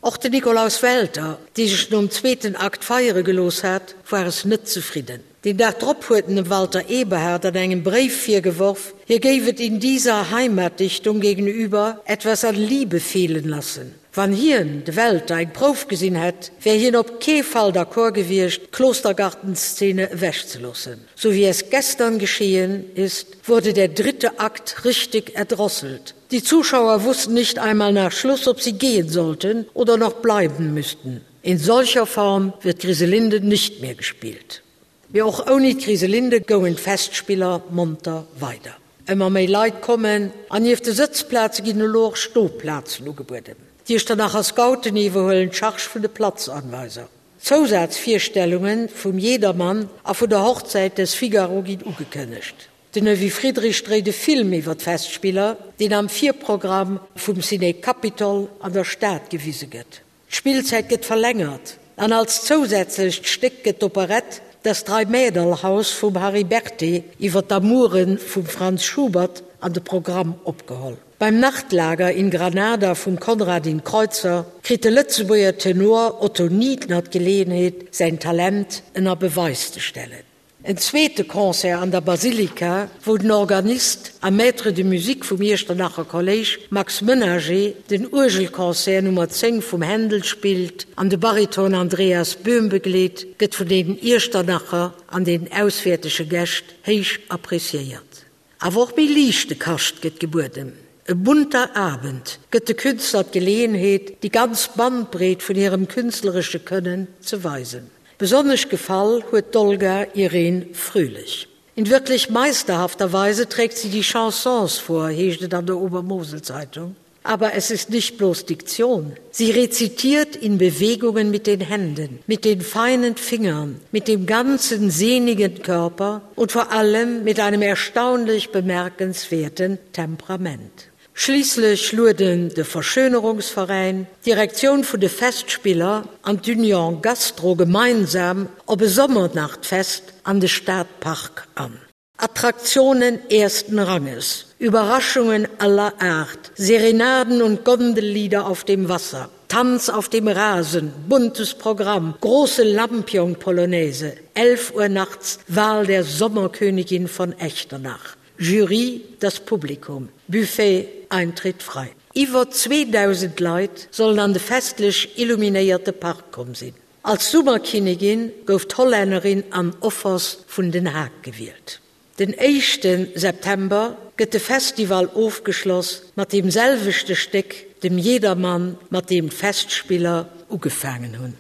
Och den Nikolaus Welter, dee sech nom zweeten Akt feiere gelooss hat, war es net zefridden. Den Dag drop huet en dem Walter Eberhard an engem Bréif virgeworf, hie géif et in dieser Heimatdichtung gegenüber etwas an Liebe fehlen lassen. Wann hien, de Welter, eng Prouf gesinn hätt, wär hien op kee Fall d'accord gewiescht, d'Klostergartenszene ewechzeloossen. So wie es gestern geschehen ist, wurde der dritte Akt richtig erdrosselt. Die Zuschauer wussten nicht einmal nach Schluss, ob sie gehen sollten oder noch bleiben müssten. In solcher Form wird Griselinde nicht mehr gespielt. Mee och ouni d'Griselinde goungen d'Festspiller monter weider. Ëmmer méi Leit kommen an nieft de Sëtzplaze ginn elo och Stoplazen ugebueden. D'Iechternacher Scouten iwwerhuelen d'Charge vun de Platzanweiser. Zousazvirstellunge vum Jedermann a vun der Hochzeit des Figaro ginn ugekënnegt. Den Evy Friedrich dréit e Film iwwer d'Festspiller, deen am Virprogramm vum Ciné Capitol an der Stad gewise gëtt. D'Spillzäit gëtt verlängert an als zousätzlecht Stéck gëtt d'Operett Das Dreimäderlhaus vum Harry Berthet iwwer d'Amoure vum Franz Schubert an de Programm opgeholl. Beim Nachtlager in Granada vum Konradin Kreutzer kritt de Lëtzebuerger Tenor Otto Niedner d'Geleeënheet, säin Talent ënner Beweis ze stellen. En zweete Concert an der Basilika, wou den Organist a Maître de musique vum Iechternacher Kolléisch Max Menager den Uergelconcert Nummer 10 vum Händel spillt an de Bariton Andreas Böhm begleet, gëtt vun den Iechternacher an den auswäertege Gäscht héich appréciéiert. Awer och méi liichte Kascht gëtt gebueden. E bunter Abend gëtt de Künstler d'Geleeënheet, déi ganz Bandbreet vun hirem künstleresche Kënnen ze weisen. Besonnesch gefall huet d'Olga Irene Fröhlich. In wirklich meisterhafter Weise trägt sie die Chansons vor, heescht et an der Obermoselzeitung. Aber es ist nicht bloß Diktion. Sie rezitiert in Bewegungen mit den Händen, mit den feinen Fingern, mit dem ganzen sehnigen Körper und vor allem mit einem erstaunlich bemerkenswerten Temperament. Schliisslech lueden de Verschönerungsveräin, d'Direktioun vun de Festspiller an d'Union Gastro gemeinsam op e Sommernachtfest an de Stadpark an. Attraktionen ersten Ranges, Überraschungen aller Art, Serenaden und Gondellieder auf dem Wasser, Tanz auf dem Rasen, buntes Programm, große Lampion-Polonaise, 11 Uhr nachts Wahl der Sommerkönigin von Echternach. Jury, das Publikum, Buffet, Eintritt frei. Iwwer 2.000 Leit sollen an de festlech illuminéierte Park komm sinn. Als Summerkinnigin gouf d'Hollännerin Ann Offers vun Den Haag gewielt. Den éischte September gëtt de Festival ofgeschloss mat deem selwechte Stéck, dem Jedermann, mat deem d'Festspiller ugefaangen hunn.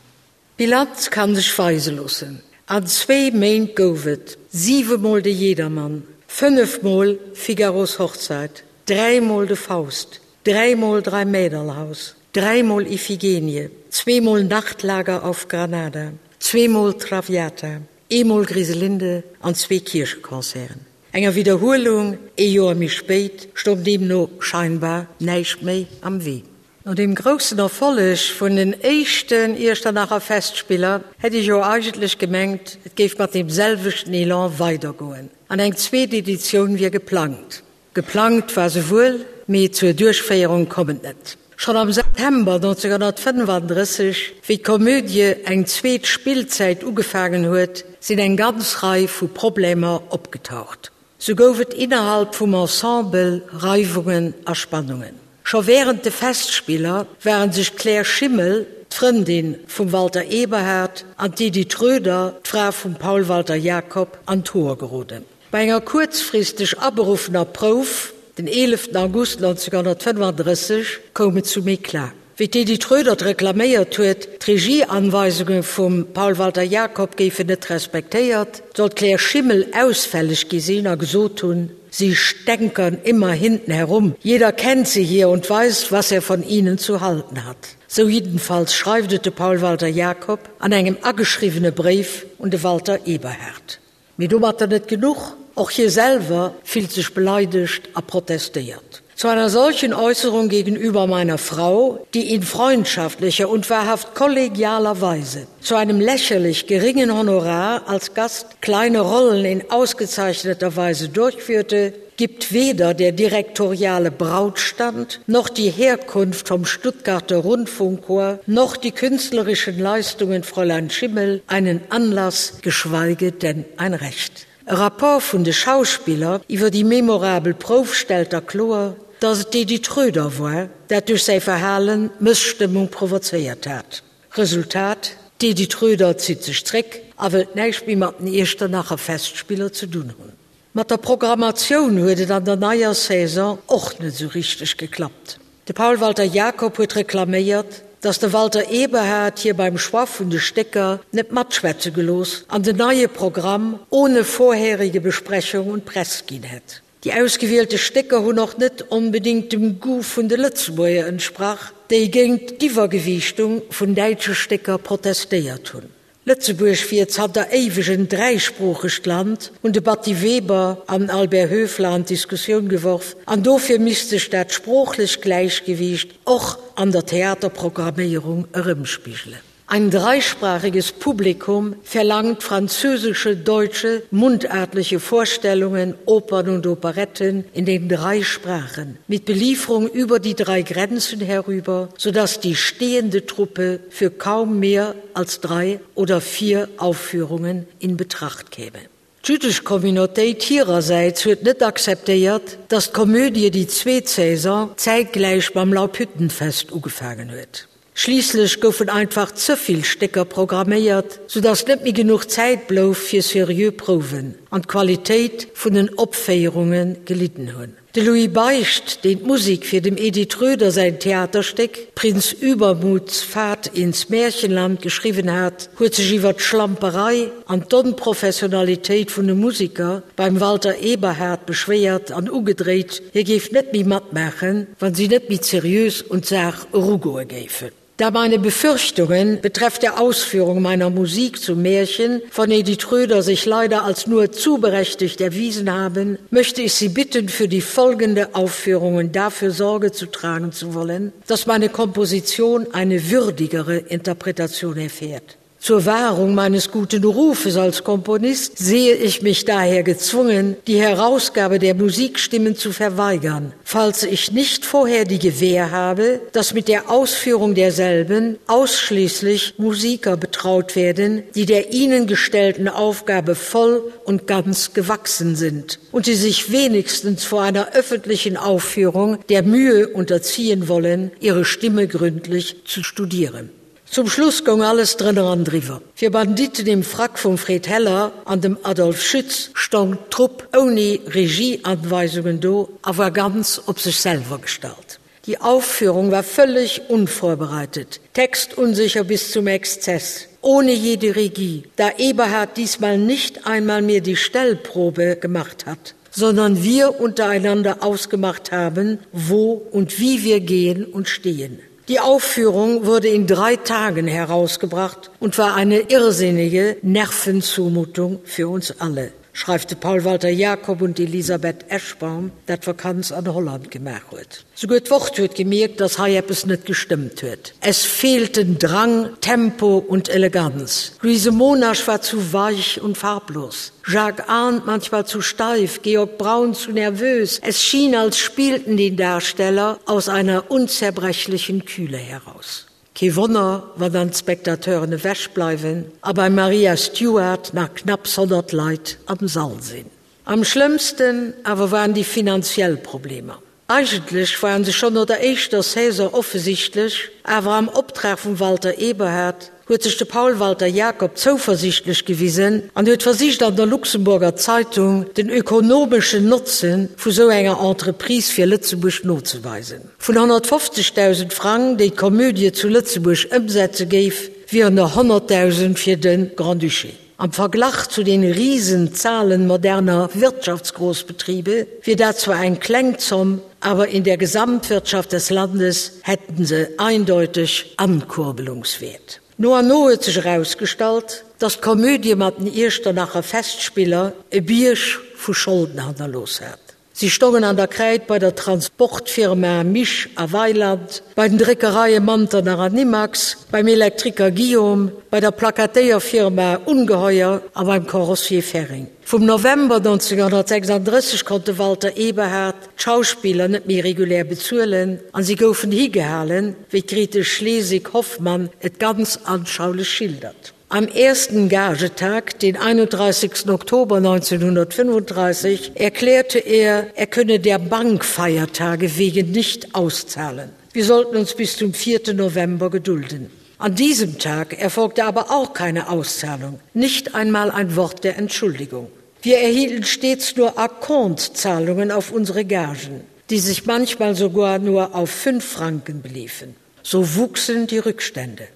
D'Bilanz kann sech weise loossen, An zwee Méint gouf et siwemol de Jedermann, fënnefmol Figaros Hochzeit, dräimol de Faust, dräimol Dreimäderlhaus, dräimol Iphigenie, zweemol Nachtlager auf Granada, zweemol Traviata, eemol Griselinde an zwee Kiercheconcerten. Enger Widderhuelung ee Joer méi spéit stoung deemno scheinbar näischt méi am Wee. No deem groussen Erfolleg vun den éischten Iechternacher Festspiller hätt ech jo eigentlech gemengt, et géif mat deem selwechten Elan weidergoen an eng zweet Editioun wier geplangt. Geplangt war se wuel, mee zur Duerchféierung komm et net. Schonn am September 1935, wéi d'Komödie eng zweet Spillzäit ugefaangen huet, sinn eng ganz Rei vu Problemer opgetaucht. Sou gouf et innerhalb vum Ensemble Reiwungen a Spannungen. Scho wärend de Festspiller ware sech d'Claire Schimmel, d'Frëndin vum Walter Eberhard, an d'Edith Roeder, d'Fra vum Paul Walter Jacob, an d'Hoer geroden. Bei enger kuerzfristeg aberuffener Prouf den 11 August 1935 koum et zum Eclat. Wéi d'Edith Roedert reklaméiert huet, d'Regieanweisunge vum Paul Walter Jacob géifen net respektéiert, soll d'Claire Schimmel ausfälleg gi sinn a gesot hunn, Sie stänkern immer hinten herum, jeder kennt sie hier und weiß, was er von ihnen zu halten hat. Sou jiddenfalls schreift et de Paul Walter Jacob an engem ageschriwwene Bréif un de Walter Eberhard. Mee domatter net genuch, och hie selwer fillt sech beleidegt a protestéiert. Zu einer solchen Äußerung gegenüber meiner Frau, die in freundschaftlicher und wahrhaft kollegialer Weise zu einem lächerlich geringen Honorar als Gast kleine Rollen in ausgezeichneter Weise durchführte, gibt weder der direktoriale Brautstand noch die Herkunft vom Stuttgarter Rundfunkchor noch die künstlerischen Leistungen Fräulein Schimmel einen Anlass, geschweige denn ein Recht. E Rapport vun de Schauspiller iwwer déi memorabel Prouf stellt da kloer, datt et d'Edith Roeder war, dat duerch säi Verhalen d'Mësstëmmung provozéiert hat. Resultat, D'Edith Roeder zitt sech zréck a wëllt näischt méi mat den Iechternacher Festspiller ze dunn hunn. Mat der Programmatioun huet et an der neier Saison och net esou richteg geklappt. De Paul Walter Jacob huet reklaméiert, datt de Walter Eberhard hie beim Choix vun de Stécker net matschwätze gelooss an den neie Programm ohne vorherige Besprechung un d'Press ginn hätt. Déi ausgewielte Stécker hunn och net onbedéngt dem Goût vun de Lëtzebuerger entsprach, déi géint d'Iwwergewiichtung vun däitsche Stécker protestéiert hunn. Lëtzebuerg wier zanter éiweg en dräisproochegt Land, hunn de Batty Weber an den Albert Höfler an d'Diskussioun geworf, an dofir misst sech dat sproochlech Gläichgewiicht och an der Theaterprogramméierung erëmspigelen. Ein dreisprachiges Publikum verlangt französische, deutsche, mundartliche Vorstellungen, Opern und Operetten in den drei Sprachen, mit Belieferung über die drei Grenzen herüber, sodass die stehende Truppe für kaum mehr als drei oder vier Aufführungen in Betracht käme. D'jüddesch Communautéit hirersäits huet net akzeptéiert, datt d'Komödie déi zweet Saison zäitgläich mam Laubhüttenfest ugefaangen huet. Schliisslech goufen einfach ze vill Stécker programméiert, soudatt net méi genuch Zäit blouf fir seriö Prouwen. an d'Qualitéit vun den Opféierunge gelidden hunn. De Louis Beicht, deen d'Musek fir dem Edith Röder säin Theaterstéck Prinz Übermuts Fahrt ins Märchenland geschriwwen hat, huet sech iwwer d'Schlamperei an d'Onprofessionalitéit vun de Museker beim Walter Eberhard beschwéiert an ugedréit, hie géif net méi matmaachen, wa si net méi seriös un d'Saach erugoe géifen. Da meine Befürchtungen betreff der Ausführung meiner Musik zum Märchen von Edith Röder sich leider als nur zu berechtigt erwiesen haben, möchte ich Sie bitten, für die folgende Aufführungen dafür Sorge zu tragen zu wollen, dass meine Komposition eine würdigere Interpretation erfährt. Zur Wahrung meines guten Rufes als Komponist sehe ich mich daher gezwungen, die Herausgabe der Musikstimmen zu verweigern, falls ich nicht vorher die Gewähr habe, dass mit der Ausführung derselben ausschließlich Musiker betraut werden, die der ihnen gestellten Aufgabe voll und ganz gewachsen sind und sie sich wenigstens vor einer öffentlichen Aufführung der Mühe unterziehen wollen, ihre Stimme gründlich zu studieren. Zum Schluss goung alles drënner an driwwer. Fir Banditen im Frack vum Fred Heller an dem Adolf Schütz stoung d'Trupp ouni Regieanweisungen do a war ganz op sech selwer gestallt. Die Aufführung war völlig unvorbereitet, textunsicher bis zum Exzess, ohne jede Regie, da Eberhard diesmal nicht einmal mehr die Stellprobe gemacht hat, sondern wir untereinander ausgemacht haben, wo und wie wir gehen und stehen. Die Aufführung wurde in drei Tagen herausgebracht und war eine irrsinnige Nervenzumutung für uns alle, schreift de Paul Walter Jakob und d'Elisabeth Eschbaum, dat Vakanz an Holland gemaach huet. Souguer d'Wort huet gemierkt, dass hei eppes net gestëmmt huet. Es fehlten Drang, Tempo und Eleganz. Louise Monasch war zu weich und farblos, Jacques Arndt manchmal zu steif, Georg Braun zu nervös. Es schien, als spielten die Darsteller aus einer unzerbrechlichen Kühle heraus. Kee Wonner, wann dann d'Spectateuren ewech bleiwen a bei Maria Stuart nach knapps 100 Leit am Sall sinn. Am schlëmmsten awer waren déi finanziell Problemer. Eigentlech waren se schonn no der éischter Saison offesichtlech, awer am Optrag vum Walter Eberhard huet sech de Paul Walter Jacob zouversiichtlech gewisen an huet versicht an der Luxemburger Zeitung den ökonomeschen Notze vu sou enger Entreprise fir Lëtzebuerg nozeweisen. Vun 150.000 Frang, déi d'Komödie zu Lëtzebuerg ëmsetze géif, wieren der 100.000 fir de Grand-Duché. Am Verglach zu den Riesenzahlen moderner Wirtschaftsgroßbetriebe wier dat zwar eng kleng Zomm, aber in der Gesamtwirtschaft des Landes hätten se eindeutig Ankurbelungswert. No an no huet sech erausgestallt, dass d'Komödie mat den Iechternacher Festspiller e Bierg vu Scholden hannerlooss hat. Si stongen an der Kräid bei der Transportfirma Misch a Weiland, bei den Dréckereie Manternach an Nimax, beim Elektriker Guillaume, bei der Plakatéierfirma Ungeheuer a beim Carrossier Ferring. Vum November 1936 konnt de Walter Eberhard d'Schauspiller net méi regulär bezuelen an si goufen higehalen, wéi d'Grete Schlesig-Hoffmann et ganz anschaulech schildert. Am ersten Gagetag, den 31. Oktober 1935, erklärte er, er könne der Bankfeiertage wegen nicht auszahlen. Wir sollten uns bis zum 4. November gedulden. An diesem Tag erfolgte aber auch keine Auszahlung, nicht einmal ein Wort der Entschuldigung. Wir erhielten stets nur Akkontzahlungen auf unsere Gagen, die sich manchmal sogar nur auf fünf Franken beliefen. So wuchsen die Rückstände.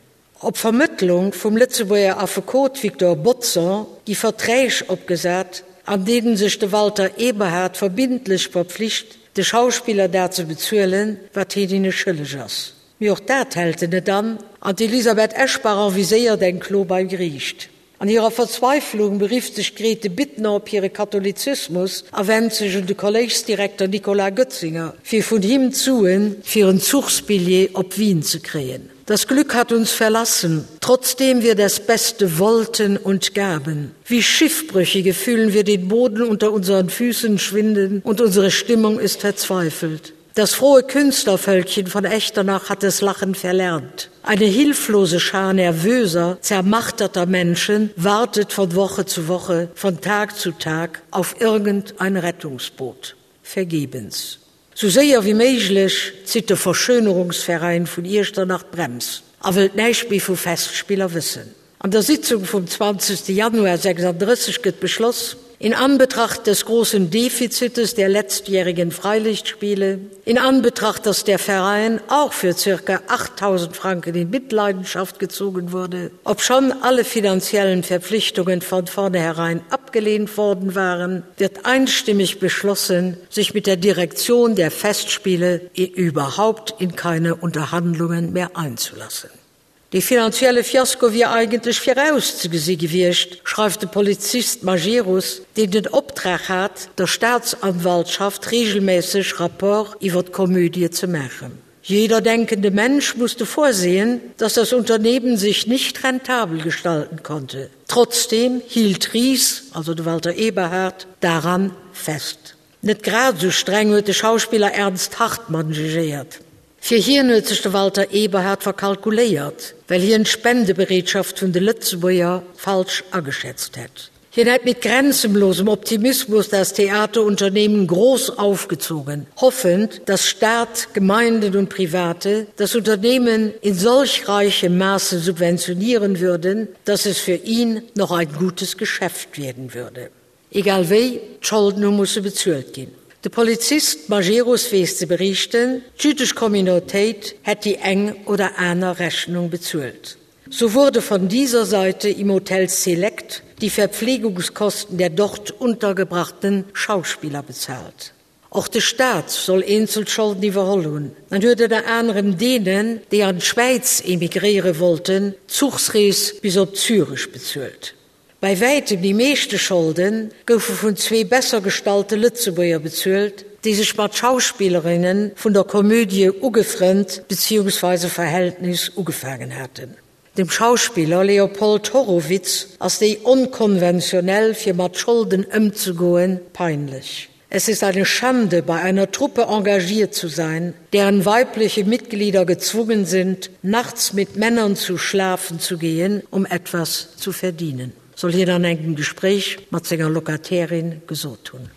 Op Vermëttlung vum Lëtzebuerger Affekot Victor Bodson gi Verträg opgesat, an deenen sech de Walter Eberhard verbindlech verpflicht, de Schauspiller dat ze bezuelen, wat hien hinne schëlleg ass. Mee och dat hält en net an, an d'Elisabeth Eschbach enviséiert eng Klo beim Geriicht. An hirer Verzweiflung berifft sech d'Grete Bittner op hire Katholizismus a wennt sech un de Kolléischsdirekter Nicolas Goetzinger, fir vun him d'Suen fir en Zuchsbilljee op Wien ze kréien. Das Glück hat uns verlassen, trotzdem wir das Beste wollten und gaben. Wie Schiffbrüchige fühlen wir den Boden unter unseren Füßen schwinden und unsere Stimmung ist verzweifelt. Das frohe Künstlervölkchen von Echternach hat das Lachen verlernt. Eine hilflose Schar nervöser, zermachterter Menschen wartet von Woche zu Woche, von Tag zu Tag auf irgendein Rettungsboot. Vergebens. Sou séier wéi méiglech zitt de Verschönerungsveräin vun Iechternach d'Brems a wëllt näischt méi vu Festspiller wëssen. An der Sitzung vum 20 Januar 36 gëtt beschloss. In Anbetracht des großen Defizites der letztjährigen Freilichtspiele, in Anbetracht, dass der Verein auch für ca. 8000 Franken in Mitleidenschaft gezogen wurde, obschon alle finanziellen Verpflichtungen von vornherein abgelehnt worden waren, wird einstimmig beschlossen, sich mit der Direktion der Festspiele überhaupt in keine Unterhandlungen mehr einzulassen. Dee finanzielle Fiasko wier eigentlech virauszegesi gewiescht, schreift de Polizist Majerus, deen den Optrag hat, der Staatsanwaltschaft reegelméisseg Rapport iwwer d'Komödie ze maachen. Jeder denkende Mensch musste vorsehen, dass das Unternehmen sich nicht rentabel gestalten konnte. Trotzdem hielt Ries, also de Walter Eberhard, daran fest. Net grad esou streng huet de Schauspiller Ernst Hartmann jugéiert. Fir hien huet sech de Walter Eberhard verkalkuléiert, well hien d'Spendebereetschaft vun de Lëtzebuerger falsch ageschätzt hätt. Hien hätt mit grenzenlosem Optimismus das Theaterunternehmen groß aufgezogen, hoffend, dass Staat, Gemeinden und Private das Unternehmen in solch reichem Maße subventionieren würden, dass es für ihn noch ein gutes Geschäft werden würde. Egal wéi, d'Scholden hu musse bezuelt ginn. De Polizist Majerus weess ze beriichten, d'jüddesch Communautéit hätt déi eng oder aner Rechnung bezuelt. So wurde von dieser Seite im Hotel Select die Verpflegungskosten der dort untergebrachten Schauspieler bezahlt. Och de Staat soll eenzel Scholden iwwerholl hunn an huet ënner anerem deenen, déi an d'Schwäiz emigréiere wollten, d'Zuchsrees bis op Zürech bezuelt. Bei wäitem déi meeschte Scholde goufe vun zwee besser gestallte Lëtzebuerger bezuelt, déi sech mat Schauspillerinne vun der Komödie ugefrënnt beziehungsweise Verhältnis ugefaangen haten. Dem Schauspiller Leopold Horowitz ass déi onkonventionell fir mat Scholden ëmzegoen peinlech. Es ist eine Schande, bei einer Truppe engagiert zu sein, deren weibliche Mitglieder gezwungen sind, nachts mit Männern zu schlafen zu gehen, um etwas zu verdienen, soll hien an engem Gespréich mat senger Locatairin gesot hunn.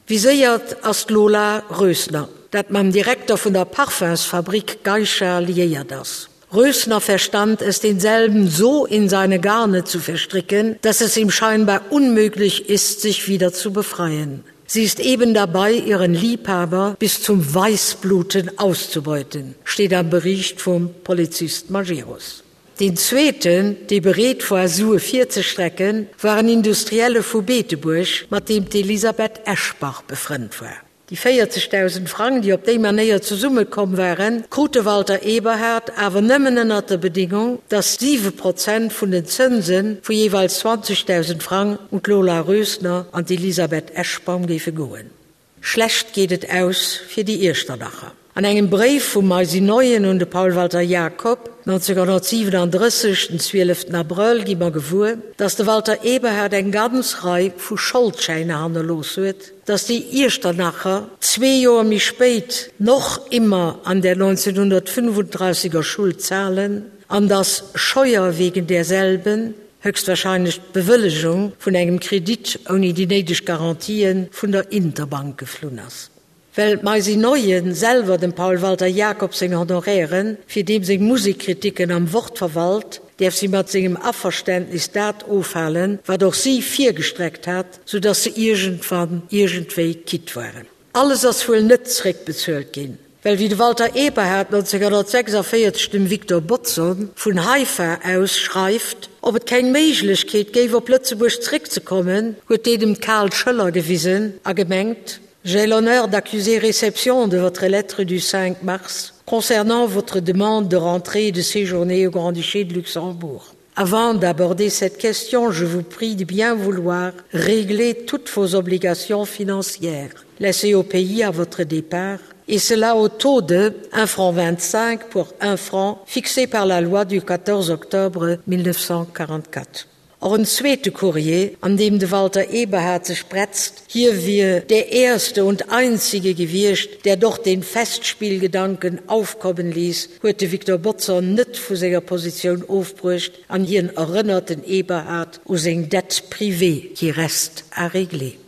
Viséiert ass d'Lola Rösner, dat mam Direkter vun der Parfumsfabrik Geisha liéiert ass. Rösner verstand es denselben so in seine Garne zu verstricken, dass es ihm scheinbar unmöglich ist, sich wieder zu befreien. Sie ist eben dabei, ihren Liebhaber bis zum Weißbluten auszubeuten, steht am Bericht vom Polizist Majerus. Den zweeten, dee bereet war Sue virzestrecken, war en Industrielle vu Beetebuerg, mat deem d'Elisabeth Eschbach befrënnt war. Déi 40.000 Frang, déi op déi Manéier zesummekomm waren, krut de Walter Eberhard awer nëmmen ënnert der Bedingung, datt 7 Prozent vun den Zënse vu jeeweils 20.000 Frang un d'Lola Rösner an d'Elisabeth Eschbaum géife goen. Schlecht geet et aus fir déi Iechternacher. An engem Bréif vum Maisy Neuen un de Paul Walter Jacob, 1937, den 12 Abrëll, gi mer gewuer, datt de Walter Eberhard eng ganz Rei vu Scholdschäiner hannerlooss huet, datt déi Iechternacher zwee Joer méi spéit noch immer an der 1935 er Schuld zahlen an datt Scheuer wegen derselben, höchstwahrscheinlech d'Bewëllegung vun engem Kredit ouni déi néideg Garantien, vun der Interbank geflunn ass. Well d'Maisy Neuen selwer dem Paul Walter Jacobs seng Honorairen fir deem seng Musekkritiken am Wort verwalt, däerf si mat sengem Averständnis dat ofhalen, wat och si virgestreckt hat, sou dass se iergendwann iergendwéi quitt waren. Alles ass wuel net zréckbezuelt ginn, well wéi de Walter Eberhard 1946 dem Victor Bodson vun Haifa aus schreift, ob et keng Méiglechkeet géif op Lëtzebuerg zréckzekommen, huet deen em d'kal Schëller gewisen a gemengt, J'ai l'honneur d'accuser réception de votre lettre du 5 mars concernant votre demande de rentrer et de séjourner au Grand-Duché de Luxembourg. Avant d'aborder cette question, je vous prie de bien vouloir régler toutes vos obligations financières laissées au pays à votre départ et cela au taux de 1 franc 25 pour 1 franc fixé par la loi du 14 octobre 1944. Och en zweete Courrier, an deem de Walter Eberhard sech bretzt, hie wier der Erste und Einzige gewiescht, der doch den Festspielgedanken aufkommen ließ, huet de Victor Bodson net vu senger Positioun ofbruecht an hien erënnert den Eberhard u seng Dette privée qui reste à régler.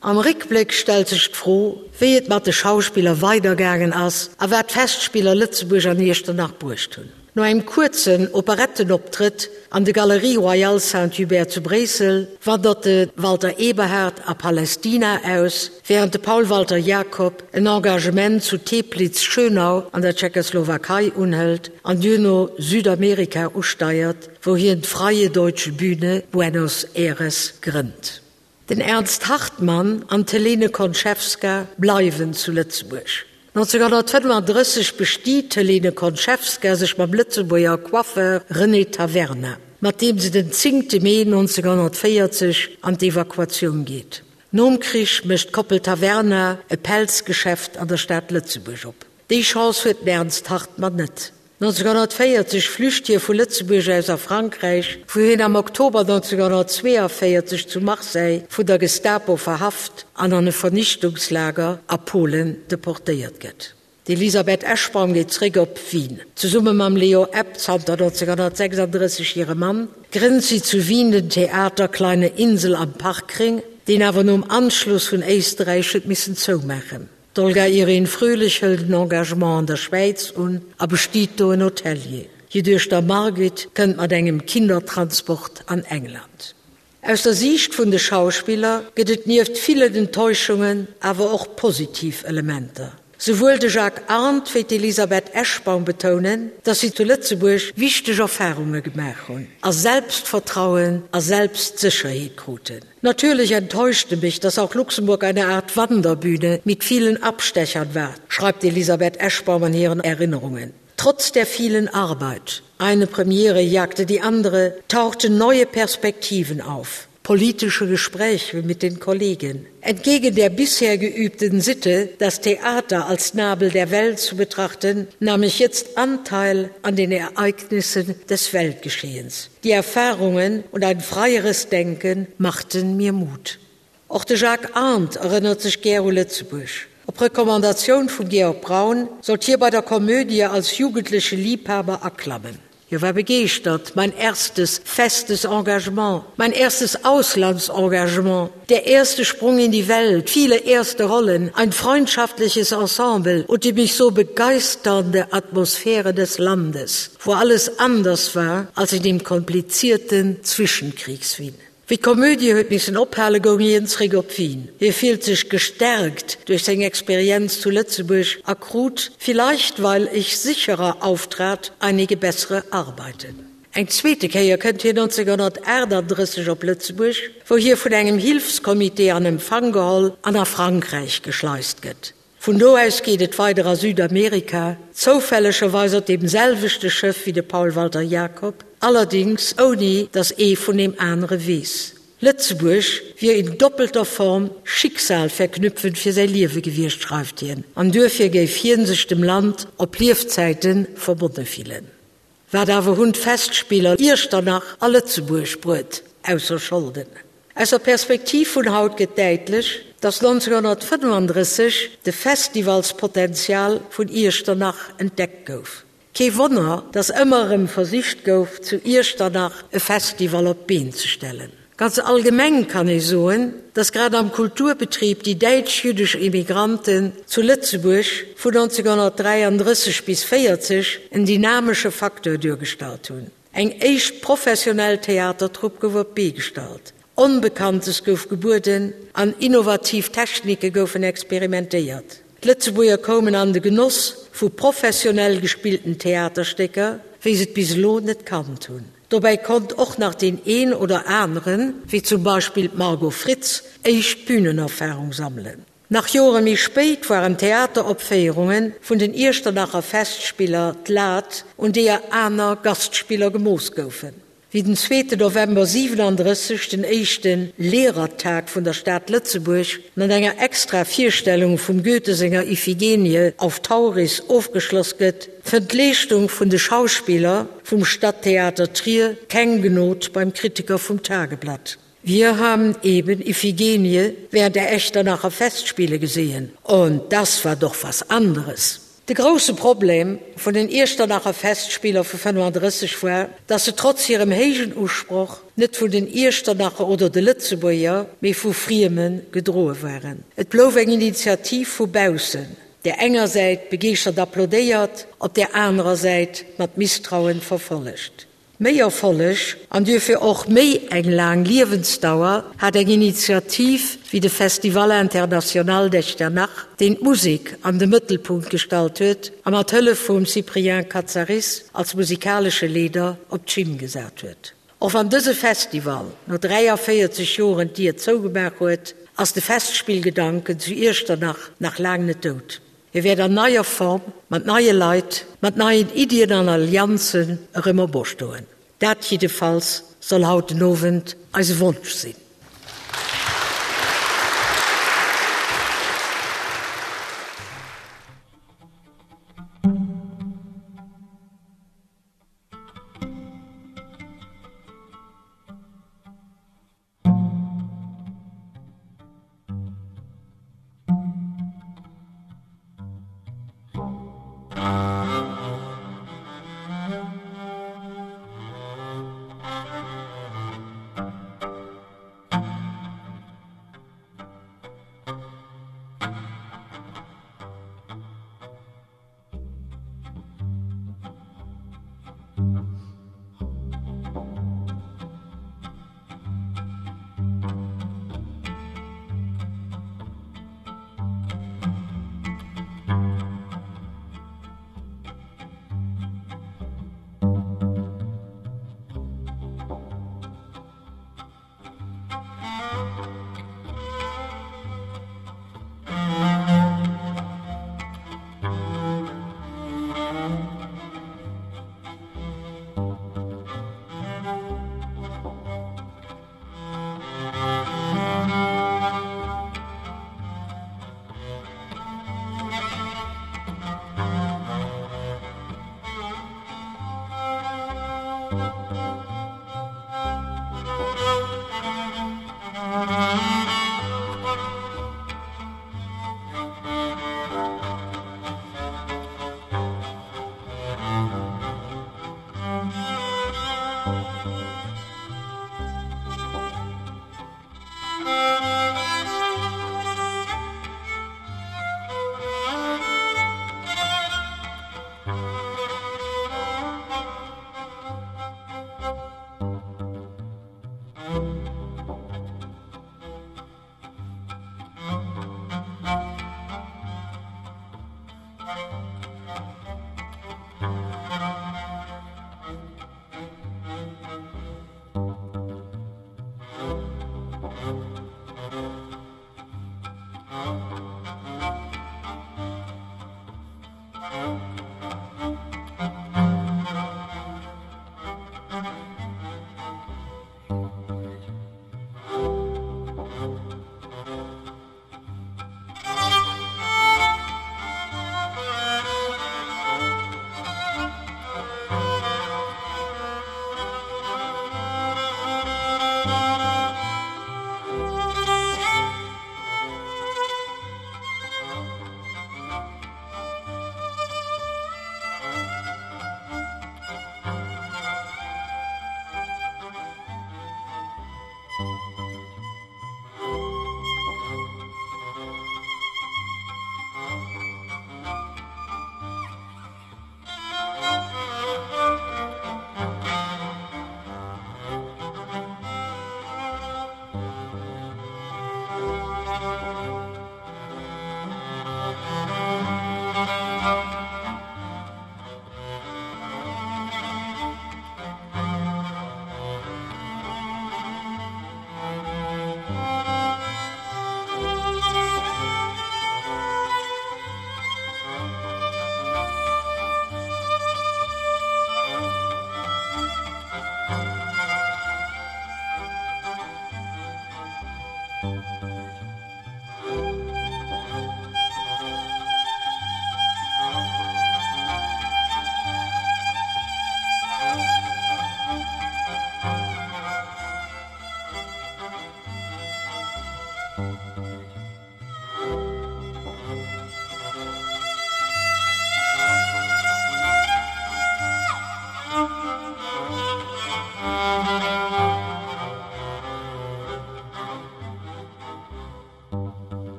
Am Réckbléck stellt sech d'Fro, wéi et mat de Schauspiller weidergaangen ass a wat d'Festspiller Lëtzebuerg an Iechternach bruecht hunn. No engem kuerzen Operettenoptrëtt an de Galeries Royales Saint-Hubert zu Bréissel wandert de Walter Eberhard a Palästina aus, wärend de Paul Walter Jacob en Engagement zu Teplitz-Schönau an der Tschechoslowakei unhëlt an duerno Südamerika usteiert, wou hien d'Freie Deutsche Bühne Buenos Aires grënnt. Den Ernst Hartmann an d'Helene Konchewska bleiwen zu Lëtzebuerg. 1935 bestiet d'Helene Konchewska sech mam Lëtzebuerger Coiffeur René Taverna, mat deem se den 10 Mee 1940 an d'Evakuatioun geet. Nom Krich mécht d'Koppel Taverna e Pelzgeschäft an der Stad Lëtzebuerg op. Déi Chance huet den Ernst Hartmann net. 1940 flücht hie vu Lëtzebuerg aus a Frankräich, wou hien am Oktober 1942 zu Marseille vun der Gestapo verhaft an an e Vernichtungslager a Polen deportéiert gëtt. D'Elisabeth Eschbaum geet zréck op Wien. Zesumme mam Leo Epp, zanter 1936 hire Mann, grënnt si zu Wien den Theater Kleine Insel am Parkring, deen awer nom Anschluss vun Éisterräich huet missen zoumaachen. D'Olga Irene Fröhlich hëlt en Engagement an der Schwäiz un a bestiet do en Hotelier. Hir Duechter Margit kënnt mat engem Kindertransport an England. Aus der Siicht vun de Schauspiller gëtt et nieft villen Enttäuschungen awer och positiv Elementer. Souwuel de Jacques Arndt wéi d'Elisabeth Eschbaum betounen, datt si zu Lëtzebuerg wichteg Erfarunge gemaach hunn a Selbstvertrauen a Selbstsécherheet kruten. Natürlich enttäuschte mich, dass auch Luxemburg eine Art Wanderbühne mit vielen Abstechern war, schreibt Elisabeth Eschbaum an ihren Erinnerungen. Trotz der vielen Arbeit, eine Premiere jagte die andere, tauchten neue Perspektiven auf politische Gespräche mit den Kollegen. Entgegen der bisher geübten Sitte, das Theater als Nabel der Welt zu betrachten, nahm ich jetzt Anteil an den Ereignissen des Weltgeschehens. Die Erfahrungen und ein freieres Denken machten mir Mut. Och de Jacques Arndt erënnert sech gär u Lëtzebuerg. Op Recommandatioun vum Georg Braun sollt hie bei der Komödie als jugendleche Liebhaber aklammen. Hie war begeeschtert, Mein erstes festes Engagement, mein erstes Auslandsengagement, der erste Sprung in die Welt, viele erste Rollen, ein freundschaftliches Ensemble und die mich so begeisternde Atmosphäre des Landes, wo alles anders war als in dem komplizierten Zwischenkriegswien. Wéi d'Komödie huet missen ophale goung hien zréck op Wien. Hie fillt sech gestärkt duerch seng Experienz zu Lëtzebuerg a krut, vielleicht weil ich sicherer auftrat, einige bessere Arbeiten. Eng zweete Kéier kënnt hien 1938 op Lëtzebuerg, wou hie vun engem Hilfscomité an Empfang geholl an a Frankräich geschleist gëtt. Vun do aus geet et weider a Südamerika, zoufällegerweis op deem selwechte Schëff wéi de Paul Walter Jacob, allerdings ouni datt ee vun deem anere weess. Lëtzebuerg wier in doppelter Form schicksalverknüpfend fir säi Liewe gewiescht, schreift hien, an duerfir géif hien sech dem Land op Liefzäite verbonne fillen. Wat awer hunn d'Festspiller Iechternach a Lëtzebuerg bruet, ausser Scholden? Aus der Perspektiv vun haut gëtt däitlech, datt 1935 de Festivalspotenzial vun Iechternach entdeckt gouf. Kee Wonner, datt ëmmer erëm versicht gouf, zu Iechternach e Festival op d'Been ze stellen. Ganz allgemeng kann ee soen, datt grad am Kulturbetrib déi däitsch-jüddesch Immigranten zu Lëtzebuerg vun 1933 bis 40 en dynamesche Facteur duergestallt hunn. Eng éischt professionell Theatertrupp gouf op d'Bee gestallt, Onbekanntes gouf gebueden an innovativ Technike goufen experimentéiert. D'Lëtzebuerger koumen an de Genoss vu professionell gespillten Theaterstécker, wéi se et bis elo net kannt hunn. Dobäi konnt och nach deen een oder aneren, wéi zum Beispill d'Margot Fritz, éischt Bünenerfarung sammelen. Nach Jore méi spéit waren d'Theateropféierunge vun den Iechternacher Festspiller d'Lat, un deeër aner Gastspiller gemooss goufen. Wéi den zweete November 37 den éischte Lehrertag vun der Stad Lëtzebuerg mat enger extra Virstellung vum Goethe senger Iphigenie auf Tauris ofgeschloss gëtt, fënnt d'Leeschtung vun de Schauspiller vum Stadttheater Trier keng Gnod beim Kritiker vum Tageblatt. Wir haben eben Iphigenie während der Echternacher Festspiele gesehen und das war doch was anderes. De grousse Problem vun den Iechternacher Festspiller vu 35 war, dass se trotz hirem héijen Usproch net vun den Iechternacher oder de Lëtzebuerger, mee vu Frieme gedroe waren. Et blouf eng Initiativ vu baussen. där enger Säit begeeschtert applaudéiert, op där anerer Säit mat Misstrauen verfollegt. Méi Erfolleg, an duerfir och méi eng laang Liewensdauer, hat eng Initiativ wéi de Festival International d'Echternach, deen d'Musek an de Mëttelpunkt gestallt huet a mat Hëllef vum Cyprien Katsaris als musikalesche Leeder op d'Schinn gesat huet. Och wann dëse Festival no 43 Joren d'Dier zougemaach huet, ass de Festspillgedanken zu Iechternach nach laang net dout. Hie wäert an neier Form, mat neie Leit, mat neien Iddien an Allianzen erëm operstoen. Dat jiddefalls soll haut den Owend eise Wonsch sinn.